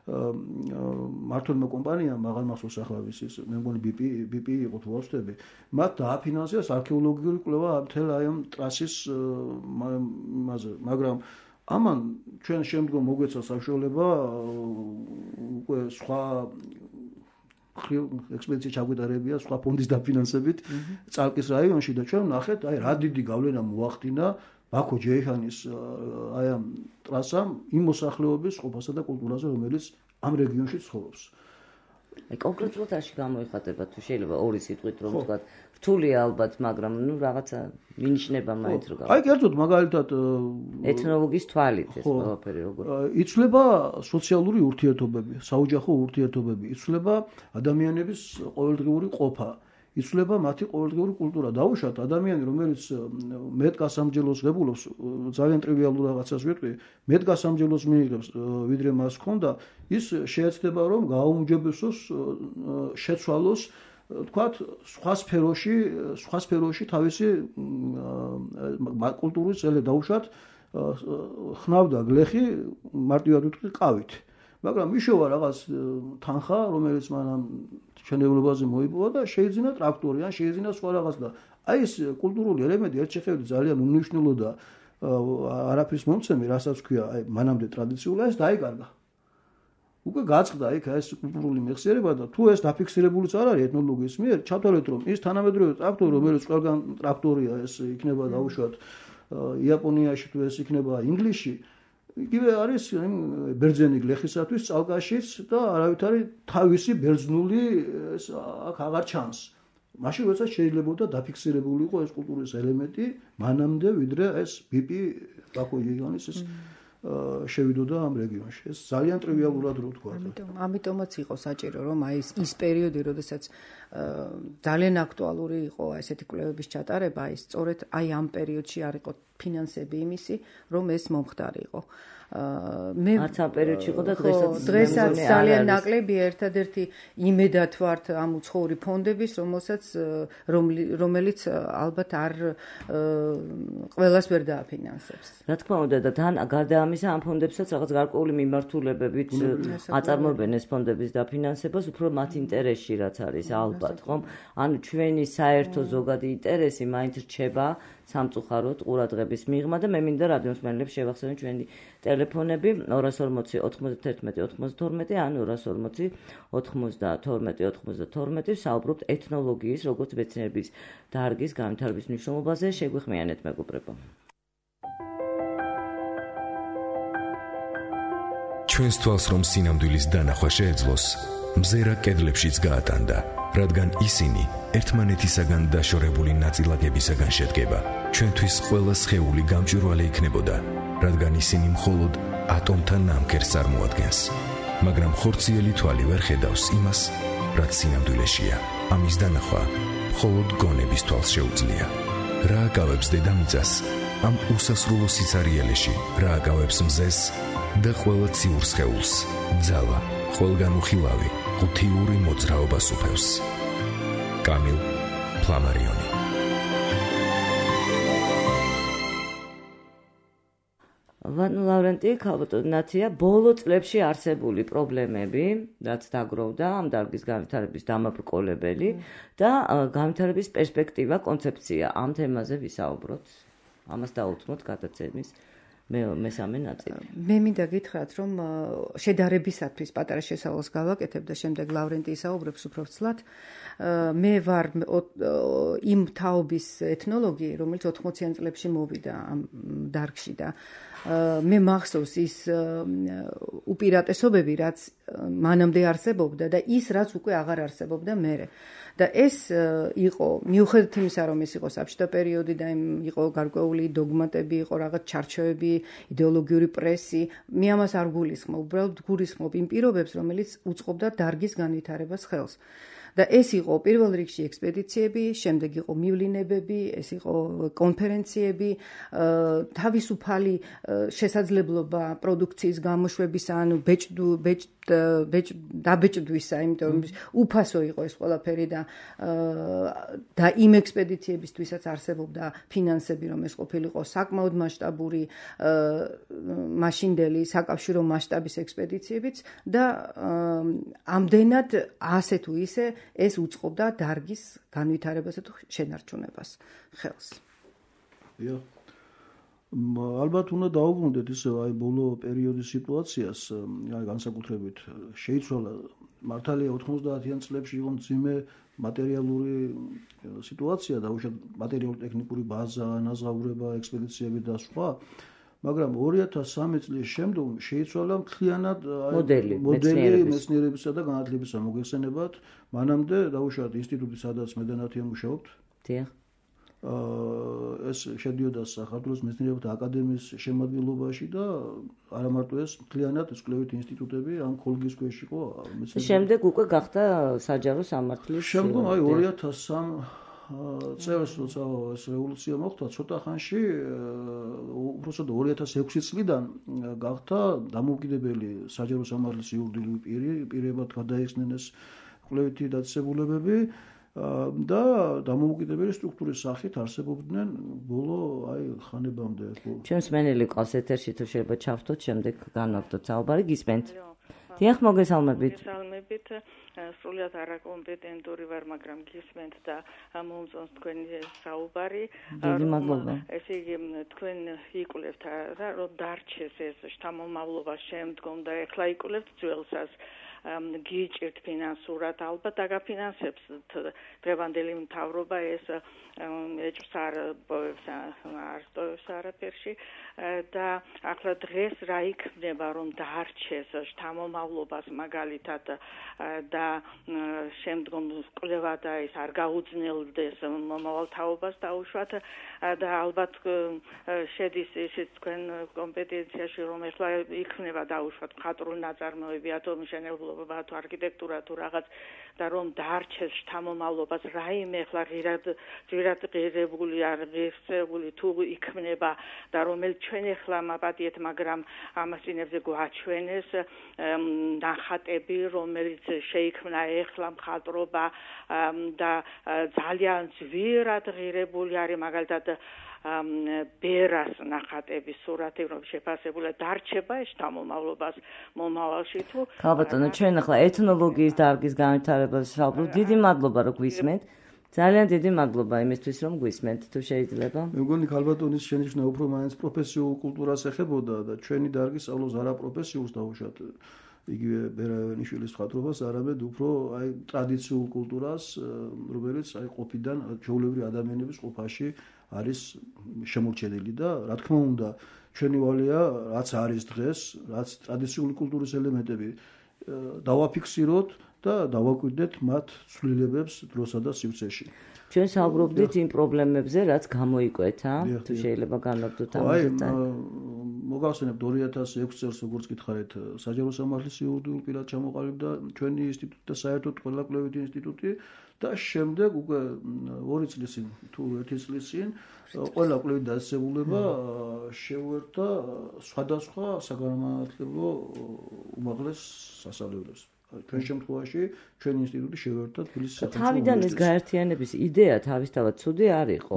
მართლმა კომპანიამ მაღალ მახსოვს ახლა ის მე მგონი BP იყო თუ არ ვთქვი, მათ დააფინანსეს არქეოლოგიური კვლევა მთელ აი ამ ტრასის იმაზე, მაგრამ ამან ჩვენ შემდგომ მოგვეცა საშუალება უკვე სხვა ექსპედიცია ჩაგვიტარებია სხვა ფონდის დაფინანსებით წალკის რაიონში და ჩვენ ნახეთ აი რა დიდი გავლენა მოახდინა ბაქო ჯეიხანის აი ამ ტრასამ იმ მოსახლეობის ყოფასა და კულტურაზე, რომელიც ამ რეგიონში ცხოვრობს. აი კონკრეტულად არში გამოიხატება თუ შეიძლება ორი სიტყვით რომ ვთქვათ რთულია ალბათ, მაგრამ რაღაცა მინიშნება მაინც რო აი კერძოდ მაგალითად ეთნოლოგიის თვალით ეს ყველაფერი როგორ იცვლება სოციალური ურთიერთობები, საოჯახო ურთიერთობები, იცვლება ადამიანების ყოველდღიური ყოფა, იცვლება მათი ყოველდღიური კულტურა. დაუშვათ ადამიანი, რომელიც მეტგასამჯელოს ღებულობს, ძალიან ტრივიალურ რაღაცას ვიტყვი, მეტგასამჯელოს მიიღებს, ვიდრე მას ჰქონდა, ის შეეცდება რომ გააუმჯობესოს, შეცვალოს, თქვათ, სხვა სფეროში თავისი კულტურის წელი. დაუშვათ ხნავდა გლეხი, მარტივად ვიტყვი, ყავით. მაგრამ მიშოვა რაღაც თანხა, რომელიც მანამ შენეულებაზე მოიპოვა და შეიძინა ტრაქტორი, ან შეიძინა სხვა რაღაც და აი ეს კულტურული ელემენტი ერთ შეხედვით ძალიან უმნიშვნელო და არაფრის მომცემი, რასაც ქვია, აი მანამდე ტრადიციული, ეს დაიკარგა. უკვე გაწყდა იქ ეს კულტურული მეხსიერება და თუ ეს დაფიქსირებულიც არ არის ეთნოლოგიის მიერ, ჩათვალეთ რომ ის თანამედროვე ტრაქტორი, რომელიც ყველგან ტრაქტორია, ეს იქნება დაუშვათ იაპონიაში თუ ეს იქნება ინგლისში, იგივე არის ბერძენი გლეხისათვის წალკაშიც და არავითარი თავისი ბერძნული ეს აქ აღარ ჩანს. მაშინ როდესაც შეიძლებოდა დაფიქსირებული იყო ეს კულტურის ელემენტი მანამდე ვიდრე ეს ბიპი ბაქო იგიონის ეს შევიდოდა ამ რეგიონში. ეს ძალიან ტრივიალურად რო თქვა. ამიტომაც იყო საჭირო რომ აი ის პერიოდი, როდესაც ძალიან აქტუალური იყო ესეთი კვლევების ჩატარება, აი სწორედ აი ამ პერიოდში არ იყო ფინანსები იმისი, რომ ეს მომხდარიყო. არც ამ პერიოდში იყო და დღესაც ძალიან ნაკლებია ერთადერთი იმედად ვართ ამ უცხოური ფონდების, რომელიც ალბათ არ ყველას ვერ დააფინანსებს. რა თქმა უნდა და თან გარდა ამისა ამ ფონდებსაც რაღაც გარკვეული მიმართულებებით აწარმოებენ ეს ფონდების დაფინანსებას, უფრო მათ ინტერესში რაც არის ალბათ, ხომ? ანუ ჩვენი საერთო ზოგადი ინტერესი მაინც რჩება სამწუხაროდ ყურადღების მიღმა და მე მინდა რადიომსმენელებს შევახსენო ჩვენი ტელეფონები 240 91 92 ან 240 92 92 საუბრობთ ეთნოლოგიის როგორც მეცნიერების დარგის განვითარების მნიშვნელობაზე. შეგვიხმიანეთ მეგობრებო. ჩვენს თვალს რომ სინამდვილის დანახვა შეეძლოს, მზერა კედლებშიც გაატანდა, რადგან ისინი ერთმანეთისაგან დაშორებული ნაწილაკებისაგან შედგება. ჩვენთვის ყველა სხეული გამჭვირვალე იქნებოდა, რადგან ისინი მხოლოდ ატომთა ნამქერს წარმოადგენს. მაგრამ ხორციელი თვალი ვერ ხედავს იმას, რაც სინამდვილეშია. ამის დანახვა მხოლოდ გონების თვალს შეუძლია. რა აკავებს დედამიწას ამ უსასრულო სიცარიელეში, რა აკავებს მზეს და ყველა ციურ სხეულს, ძალა, ყველგან უხილავი, ღუთიური მოძრაობას უფევს. კამილ ფლამარიონი. ვანო ლავრენტი, ქალბატონია, ბოლო წლებში არსებული პრობლემები, რაც დაგროვდა ამ დარგის განვითარების დამაბრკოლებელი და განვითარების პერსპექტივა, კონცეფცია, ამ თემაზე ვისაუბროთ. ამას დაუთმოთ გადაცემის მესამე ნაწილი. მე მინდა გითხრათ, რომ შედარებისათვის პატარა შესავალს გავაკეთებ და შემდეგ ლავრენტი ისაუბრებს უფრო ვცლად. მე ვარ იმ თაობის ეთნოლოგი, რომელიც 80-იან წლებში მოვიდა ამ დარგში და მე მახსოვს ის უპირატესობები, რაც მანამდე არსებობდა და ის, რაც უკვე აღარ არსებობდა მერე. და ეს იყო მიუხედავად იმისა, რომ ეს იყო საბჭოთა პერიოდი და იყო გარკვეული დოგმატები, იყო რაღაც ჩარჩოები, იდეოლოგიური პრესი, მე ამას არ გულისხმობ, უბრალოდ გულისხმობ იმ პირობებს, რომელიც უწყობდა დარგის განვითარებას ხელს. და ეს იყო პირველ რიგში ექსპედიციები, შემდეგ იყო მივლინებები, ეს იყო კონფერენციები, თავისუფალი შესაძლებლობა პროდუქციის გამოშვებისა, ანუ დაბეჭდვისა, იმიტომ რომ უფასო იყო ეს ყველაფერი და იმ ექსპედიციებისთვისაც არსებობდა ფინანსები, რომ ეს ყოფილიყო საკმაოდ მასშტაბური მაშინდელი საკავშირო მასშტაბის ექსპედიციებიც და ამდენად ასე თუ ისე ეს უწყობდა დარგის განვითარებასა თუ შენარჩუნებას ხელს. ალბათ უნდა დაუბრუნდეთ ისე აი ბოლო პერიოდის სიტუაციას, აი განსაკუთრებით შეიცვალა მართალია 90-იან წლებში იყო მძიმე მატერიალური სიტუაცია და უშუალოდ მატერიალურ-ტექნიკური ბაზა, ანაზღაურება, ექსპედიციები და სხვა. მაგრამ 2013 წლის შემდგომ შეიცვალა მთლიანად მოდელი მეცნიერებისა და განათლებისა მოგეხსენებათ. მანამდე დაუშვათ ინსტიტუტი, სადაც მე და ნათია მუშაობთ, დიახ. ეს შედიოდა საქართველოს მეცნიერებათა აკადემიის შემადგენლობაში და არა მარტო ეს, მთლიანად ეს კვლევითი ინსტიტუტები ამ ქოლგის ქვეშ იყო მეცნიერებათა. შემდეგ უკვე გახდა საჯარო სამართლის. შემდგომ 2003 წელს როცა ეს რევოლუცია მოხდა, ცოტა ხანში უბრალოდ 2006 წლიდან გახდა დამოუკიდებელი საჯარო სამართლის იურიდიული პირებად გადაიხსნენ ეს კვლევითი დაწესებულებები და დამოუკიდებელი სტრუქტურის სახით არსებობდნენ ბოლო ხანებამდე. ჩვენს მენელი ყავს ეთერში, თუ შეიძლება ჩავთოთ, შემდეგ განვაგდოთ საუბარი, გისმენთ. დიახ, მოგესალმებით. მოგესალმებით. სრულიად არაკომპეტენტური ვარ, მაგრამ გისმენთ და მომწონს თქვენი საუბარი. დიდი მადლობა. ესე იგი, თქვენ იკვლევთ რა, რომ დარჩეს ეს შთამომავლობა შემდგომ და ეხლა იკვლევთ ძველსაც. გიჭირთ ფინანსურად, ალბათ დაგაფინანსებს დღევანდელი მთავრობა ეს ეჭვს არ ტოვებს არაფერში და ახლა დღეს რა იქნება, რომ დაარჩეს შთამომავლობას მაგალითად და შემდგომ კვლევა და ეს არ გაუძნელდეს მომავალ თაობას დაუშვათ და ალბათ შედის ისიც თქვენ კომპეტენციაში, რომ ეხლა იქნება დაუშვათ მხატვრული ნაწარმოები, მშენებლობა თუ არქიტექტურა თუ რაღაც და რომ დაარჩეს შთამომავლობას რაიმე ეხლა ღირად ღირებული არ ღირსეული თუ იქნება და რომელიც ჩვენ ეხლა მაპატიეთ, მაგრამ ამას წინებზე გვაჩვენეს ნახატები, რომელიც შეიქმნა ეხლა მხატვრობა და ძალიან ძვირად ღირებული არის მაგალითად ბერას ნახატების სურათი, რომ შეფასებული დარჩება ეს შთამომავლობას მომავალში თუ ბატონო, ჩვენ ახლა ეთნოლოგიის დარგის განვითარებას ვსაუბრობთ. დიდი მადლობა, რომ გვისმენთ. ძალიან დიდი მადლობა იმისთვის, რომ გვისმენთ, თუ შეიძლება. მე მგონი ქალბატონის შენიშვნა უფრო მაინც პროფესიულ კულტურას ეხებოდა და ჩვენი დარგი სწავლობს არა პროფესიულს დაუშვათ იგივე ბერაევანიშვილის მხატვრობას, არამედ უფრო ტრადიციულ კულტურას, რომელიც ყოფიდან ჩვეულებრივი ადამიანების ყოფაში არის შემორჩენილი და რა თქმა უნდა ჩვენი ვალია რაც არის დღეს, რაც ტრადიციული კულტურის ელემენტები დავაფიქსიროთ და დავაკვირდეთ მათ ცვლილებებს დროსა და სივრცეში. ჩვენ საუბრობდით იმ პრობლემებზე, რაც გამოიკვეთა, თუ შეიძლება განვაგდოთ ამაზე. მოგახსენებთ 2006 წელს როგორც გითხარით, საჯარო სამართლის იურიდიულ პირად ჩამოყალიბდა ჩვენი ინსტიტუტი და საერთოდ ყველა კვლევითი ინსტიტუტი და შემდეგ უკვე 2 წლის წინ თუ 1 წლის წინ ყველა კვლევით დაწესებულება შეუერთდა სხვადასხვა საგანმანათლებლო უმაღლეს სასწავლებლებს. ჩვენ შემთხვევაში ჩვენი ინსტიტუტი შეუერთდა თბილისის სახელმწიფო თავიდან ეს გაერთიანების იდეა თავისთავად ცუდი არ იყო,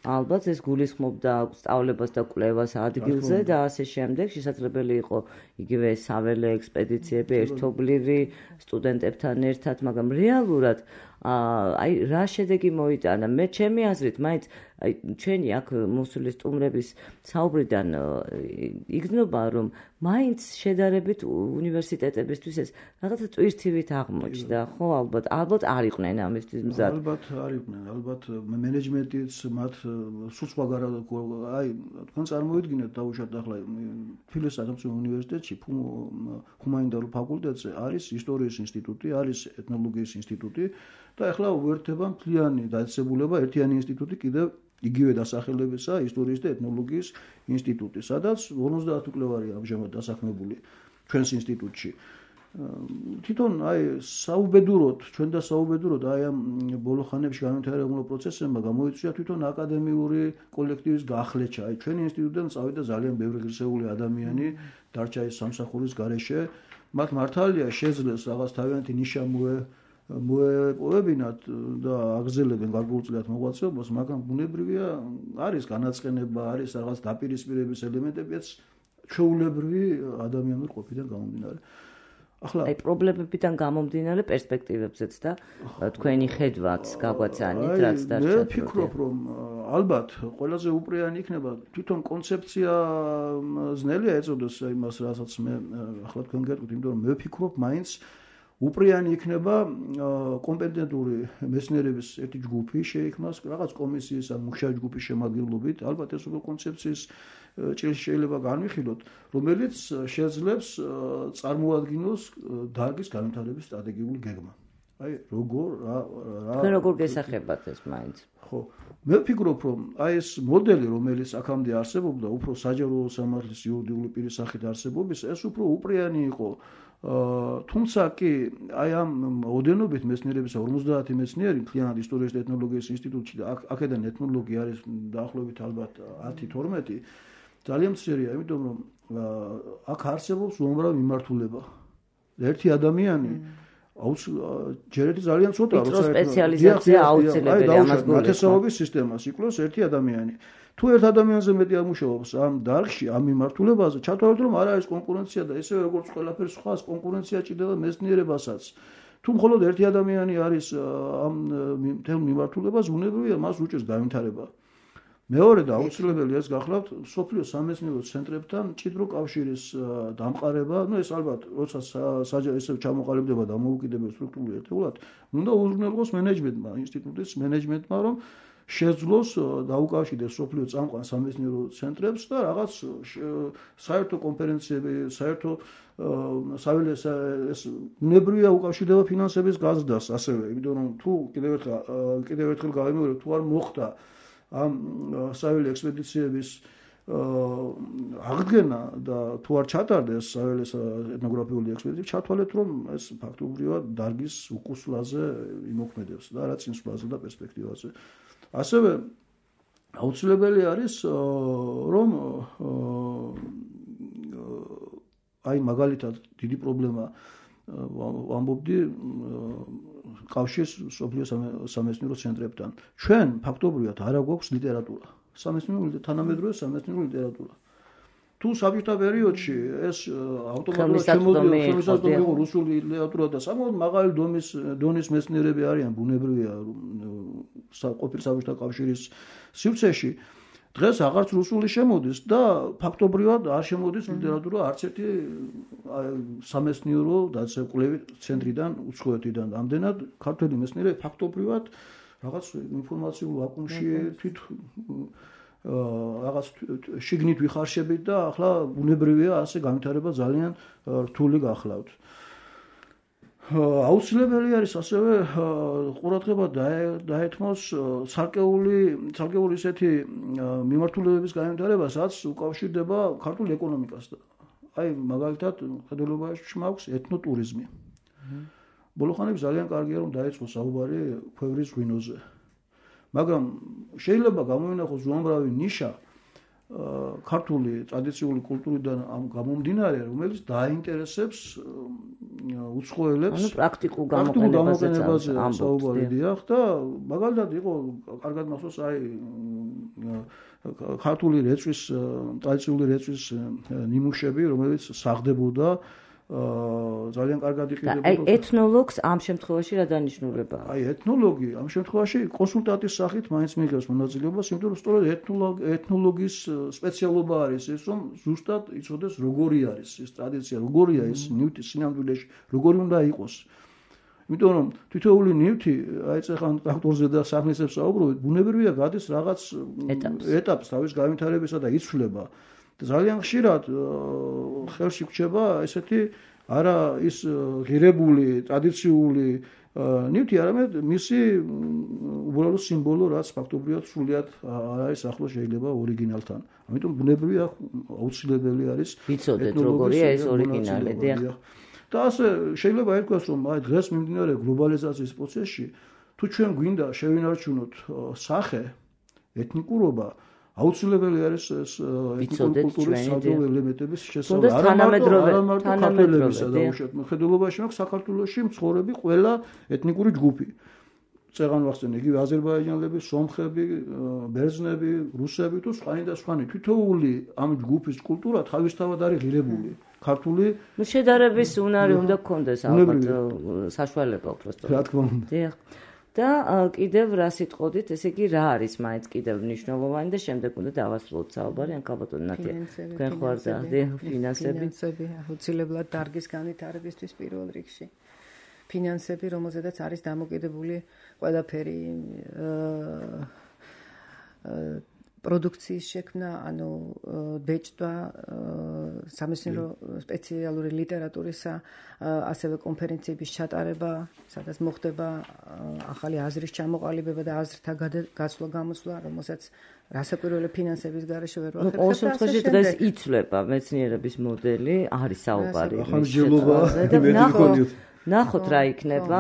ალბათ ეს გულისხმობდა სწავლებას და კვლევას ადგილზე და ასე შემდეგ. შესაძლებელი იყო იგივე საველე ექსპედიციები ერთობლივი სტუდენტებთან ერთად, მაგრამ რეალურად რა შედეგი მოიტანა? მე ჩემი აზრით, მაინც ჩვენი აქ მოსული სტუმრების საუბრიდან იგრძნობა, რომ მაინც შედარებით უნივერსიტეტებისთვის ეს რაღაცა ტვირთივით აღმოჩნდა, ხო? ალბათ არ იყვნენ ამისთვის მზად. ალბათ არ იყვნენ, ალბათ მენეჯმენტიც მათ სულ სხვაგან თქვენ წარმოიდგინეთ დაუშვათ ახლა თბილისის სახელმწიფო უნივერსიტეტში ჰუმანიტარულ ფაკულტეტზე არის ისტორიის ინსტიტუტი, არის ეთნოლოგიის ინსტიტუტი და ახლა უერთდება მთლიანი დაწესებულება ერთიანი ინსტიტუტი კიდევ იგივე დასახელებისა ისტორიის და ეთნოლოგიის ინსტიტუტი, სადაც 50 კვლევარია ამჟამად დასაქმებული ჩვენს ინსტიტუტში. თვითონ საუბედუროდ, ჩვენ და საუბედუროდ ამ ბოლო ხანებში განვითარებულ პროცესებმა გამოიწვია თვითონ აკადემიური კოლექტივის გახლეჩა. ჩვენი ინსტიტუტიდან წავიდა ძალიან ბევრი ღირსეული ადამიანი, დარჩა ეს სამსახურის გარეშე. მათ მართალია შეძლეს რაღაც თავიანთი ნიშა მოეპოვებინათ და აგრძელებენ გარკვეულწილად მოღვაწეობას, მაგრამ ბუნებრივია არის განაწყენება, არის რაღაც დაპირისპირების ელემენტებიც ჩვეულებრივი ადამიანური ყოფიდან გამომდინარე. ახლა პრობლემებიდან გამომდინარე პერსპექტივებზეც და თქვენი ხედვაც გაგვაცანით, რაც დარჩა. მე ვფიქრობ, რომ ალბათ ყველაზე უპრიანი იქნება თვითონ კონცეფცია ძნელია ეწოდეს იმას, რასაც მე ახლა თქვენ გეტყვით, იმიტომ რომ მე ვფიქრობ, მაინც უპრიანი იქნება კომპეტენტური მეცნიერების ერთი ჯგუფი შეიქმნას რაღაც კომისიის ან მუშათა ჯგუფის შემადგენლობით. ალბათ ეს უკვე კონცეფციის ჭრილში შეიძლება განვიხილოთ, რომელიც შეძლებს წარმოადგინოს დარგის განვითარების სტრატეგიული გეგმა. აი როგორ როგორ გესახებათ ეს მაინც? ხო, მე ვფიქრობ, რომ აი ეს მოდელი, რომელიც აქამდე არსებობდა, უფრო საჯარო სამართლის იურიდიული პირის სახით არსებობის, ეს უფრო უპრიანი იყო. თუმცა კი აი ამ ოდენობით მეცნიერების 50 მეცნიერი მთლიანად ისტორიის და ეთნოლოგიის ინსტიტუტში და აქედან ეთნოლოგი არის დაახლოებით ალბათ 10-12 ძალიან მცირეა, იმიტომ რომ აქ არსებობს უამრავი მიმართულება. ერთი ადამიანი ჯერეთი ძალიან ცოტა როცა სპეციალიზაცია აუცილებელია ამას გულისხმობ. ნათესაობის სისტემას იკლოს ერთი ადამიანი. თუ ერთ ადამიანზე მეტი ამუშავებს ამ დარგში, ამ მიმართულებაზე, ჩათვალეთ რომ არ არის კონკურენცია და ისევე როგორც ყველაფერ სხვას კონკურენცია ჭირდება მეცნიერებასაც. თუ მხოლოდ ერთი ადამიანი არის ამ თემ მიმართულებას, უნებრივია მას უჭირს განვითარება. მეორე და აუცილებელი ეს გახლავთ სოფლიო სამეცნიერო ცენტრებთან მჭიდრო კავშირის დამყარება, ეს ალბათ როცა ესე ჩამოყალიბდება და მოუკიდებელ სტრუქტურულ ერთეულად, უნდა უზრუნველყოს მენეჯმენტმა, ინსტიტუტის მენეჯმენტმა, რომ შეძლოს დაუკავშირდეს სოფლიო წამყვან სამეცნიერო ცენტრებს და რაღაც საერთო კონფერენციები, საერთო საველეს ეს უნებრივია უკავშირდება ფინანსების გაზრდას ასევე, იმიტომ რომ თუ კიდევ ერთხელ გავიმეორებ, თუ არ მოხდა ამ საველე ექსპედიციების აღდგენა და თუ არ ჩატარდეს საველეს ეთნოგრაფიული ექსპედიციები, ჩათვალეთ რომ ეს ფაქტობრივად დარგის უკუსვლაზე იმოქმედებს და რა წინსვლაზე და პერსპექტივაზე. ასევე აუცილებელი არის რომ აი მაგალითად დიდი პრობლემა ვამბობდი კავშირს სოფლიო სამეცნიერო ცენტრებთან. ჩვენ ფაქტობრივად არ აქვს ლიტერატურა. თანამედროვე სამეცნიერო ლიტერატურა. თუ საბჭოთა პერიოდში ეს ავტომატურად შემოდიოდა რუსული ლიტერატურა და საკმაოდ მაღალი დონის მეცნიერები არიან, ბუნებრივია ყოფილი საბჭოთა კავშირის სივრცეში. დღეს აღარც რუსული შემოდის და ფაქტობრივად არ შემოდის ლიტერატურა არც ერთი სამეცნიერო დაწესებულების ცენტრიდან, უცხოეთიდან. ამდენად ქართველი მეცნიერები ფაქტობრივად რაღაც ინფორმაციულ ვაკუუმში რაღაც შიგნით ვიხარშებით და ახლა ბუნებრივია ასე განვითარება ძალიან რთული გახლავთ. აუცილებელი არის ასევე ყურადღება დაეთმოს ცალკეული ისეთი მიმართულებების განვითარება, რაც უკავშირდება ქართულ ეკონომიკასთან. აი მაგალითად ხედველობაში მაქვს ეთნოტურიზმი. ბოლო ხანებში ძალიან კარგია რომ დაიწყოს საუბარი ქვევრის ღვინოზე. მაგრამ შეიძლება გამოვინახოს უამრავი ნიშა ქართული ტრადიციული კულტურიდან გამომდინარე, რომელიც დაინტერესებს უცხოელებს პრაქტიკულ გამოყენებაზე საუბარი დიახ და მაგალითად იყო კარგად მახსოვს აი ქართული რეწვის ტრადიციული რეწვის ნიმუშები, რომელიც საღდებოდა ძალიან კარგად იყიდებოდა. აი ეთნოლოგს ამ შემთხვევაში რა დანიშნულება? აი ეთნოლოგი ამ შემთხვევაში კონსულტანტის სახით მაინც მიიღებს მონაწილეობას, იმიტომ რომ სწორედ ეთნოლოგის სპეციალობა არის ეს, რომ ზუსტად იცოდეს როგორი არის ეს ტრადიცია, როგორია ეს ნივთი სინამდვილეში, როგორი უნდა იყოს. იმიტომ რომ თითოეული ნივთი, აი წეხან ტრაქტორზე და საფნისებს საუბრობთ, ბუნებრივია გადის რაღაც ეტაპს თავის განვითარებისა და იცვლება. ძალიან ხშირად ხელში გვჭება ესეთი არა ის ღირებული ტრადიციული ნივთი, არამედ მისი უბრალო სიმბოლო, რაც ფაქტობრივად სრულიად არ არის ახლო შეიძლება ორიგინალთან. ამიტომ ბუნებრივია აუცილებელი არის ვიცოდეთ როგორია ეს ორიგინალი. და ასე შეიძლება ითქვას, რომ აი დღეს მიმდინარე გლობალიზაციის პროცესში, თუ ჩვენ გვინდა შევინარჩუნოთ სახე, ეთნიკურობა, აუცილებელი არის ეს ეთნიკური კულტურის საჯარო ელემენტების შესწავლა. არა მარტო ქართველებისა და უშეხედულობაში მაქვს საქართველოში მცხოვრები ყველა ეთნიკური ჯგუფი. წეგან ვახსენე იგივე აზერბაიჯანელები, სომხები, ბერძნები, რუსები თუ სხვანი და სხვანი. თითოეული ამ ჯგუფის კულტურა თავისთავად არის ღირებული. ქართული შედარების უნარი უნდა გქონდეს ალბათ საშუალება უბრალოდ. რა თქმა უნდა. დიახ. და კიდევ რა სიტყოდით, ესე იგი რა არის მაინც კიდევ მნიშვნელოვანი და შემდეგ უნდა დავასრულოთ საუბარი ან კაბატონი ნათია. თქვენ ხوار და ფინანსები აუცილებლად დარგის განვითარებისთვის პირველ რიგში. ფინანსები, რომელზედაც არის დამოკიდებული ყველაფერი პროდუქციის შექმნა, ანუ ბეჭდვა, სამეცნიერო სპეციალური ლიტერატურისა, ასევე კონფერენციების ჩატარება, სადაც მოხდება ახალი აზრის ჩამოყალიბება და აზრთა გაცვლა-გამოცვლა, რომელსაც რასაკვირველი ფინანსების გარეშე ვერ ვახერხებთ. ყოველ შემთხვევაში დღეს იცვლება მეცნიერების მოდელი, არის საუბარი. ახალგაზრდობა ნახოთ რა იქნება,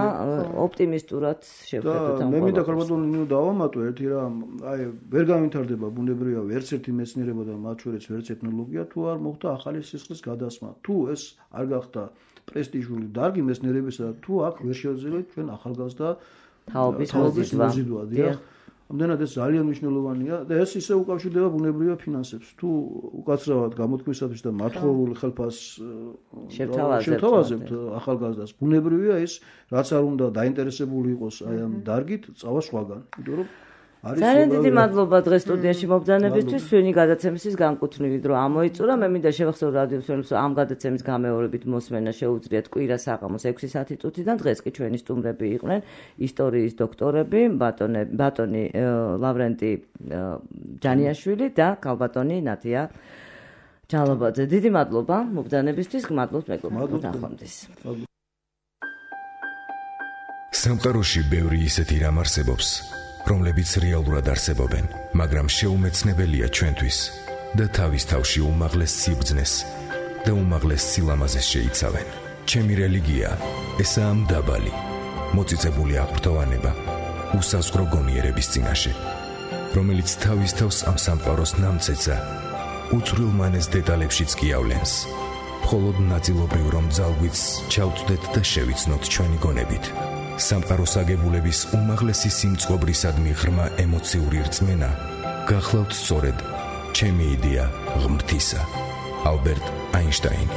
ოპტიმისტურად შევხედოთ ამ. მე მინდა ქალბატონო დავამატო ერთი რამ, აი ვერ განვითარდება ბუნებრივია ერთ-ერთი მეცნიერება და მათ შორის ვერც ტექნოლოგია თუ არ მოხდა ახალი სისხლის გადასმა. თუ ეს არ გახდა პრესტიჟული დარგი მეცნიერებისა და თუ აქ ვერ შევძლებთ ჩვენ ახალგაზრდა თაობის მოზიდვა. დიახ. ამდენად ეს ძალიან მნიშვნელოვანია და ეს ისე უკავშირდება ბუნებრივია ფინანსებს. თუ უკაცრავად გამოთქმისათვის და მათხოვრული ხელფასს შევთავაზებთ ახალგაზრდას, ბუნებრივია ის რაც არ უნდა დაინტერესებული იყოს აი ამ დარგით, წავა სხვაგან. იმიტომ რომ ძალიან დიდი მადლობა დღეს სტუდიაში მობრძანებისთვის, ჩვენი გადაცემისთვის განკუთვნილი დრო ამოიწურა. მე მინდა შევახსოვრო რადიო მსმენელს, ამ გადაცემის გამეორებით მოსმენა შეუძლიათ კვირა საღამოს 6 საათიდან. დღეს კი ჩვენი სტუმრები იყვნენ ისტორიის დოქტორები, ბატონი ლავრენტი ჯანიაშვილი და ქალბატონი ნათია ჯალობაძე. დიდი მადლობა მობრძანებისთვის, გმადლობთ მეგობრებო, ნახვამდის. სამყაროში ბევრი ისეთი რამ არსებობს, რომლებიც რეალურად არსებობენ, მაგრამ შეუმეცნებელია ჩვენთვის და თავის თავში უმაღლეს სიბრძნეს და უმაღლეს სილამაზეს შეიცავენ. ჩემი რელიგია ესაა მდაბალი, მოწიწებული აღფრთოვანება, უსაზღვრო გონიერების წინაშე, რომელიც თავის თავს ამ სამყაროს ნამცეცა უწვრილმანეს დეტალებშიც კი ავლენს. მხოლოდ ნაწილობრივ რომ ძალგვიც ჩავთვლეთ და შევიცნოთ ჩვენი გონებით. სამყაროს აგებულების უმაღლესი სიმწყობრისადმი ღრმა ემოციური რწმენა გახლავთ სწორედ ჩემი იდეა ღმრთისა. ალბერტ აინშტაინი.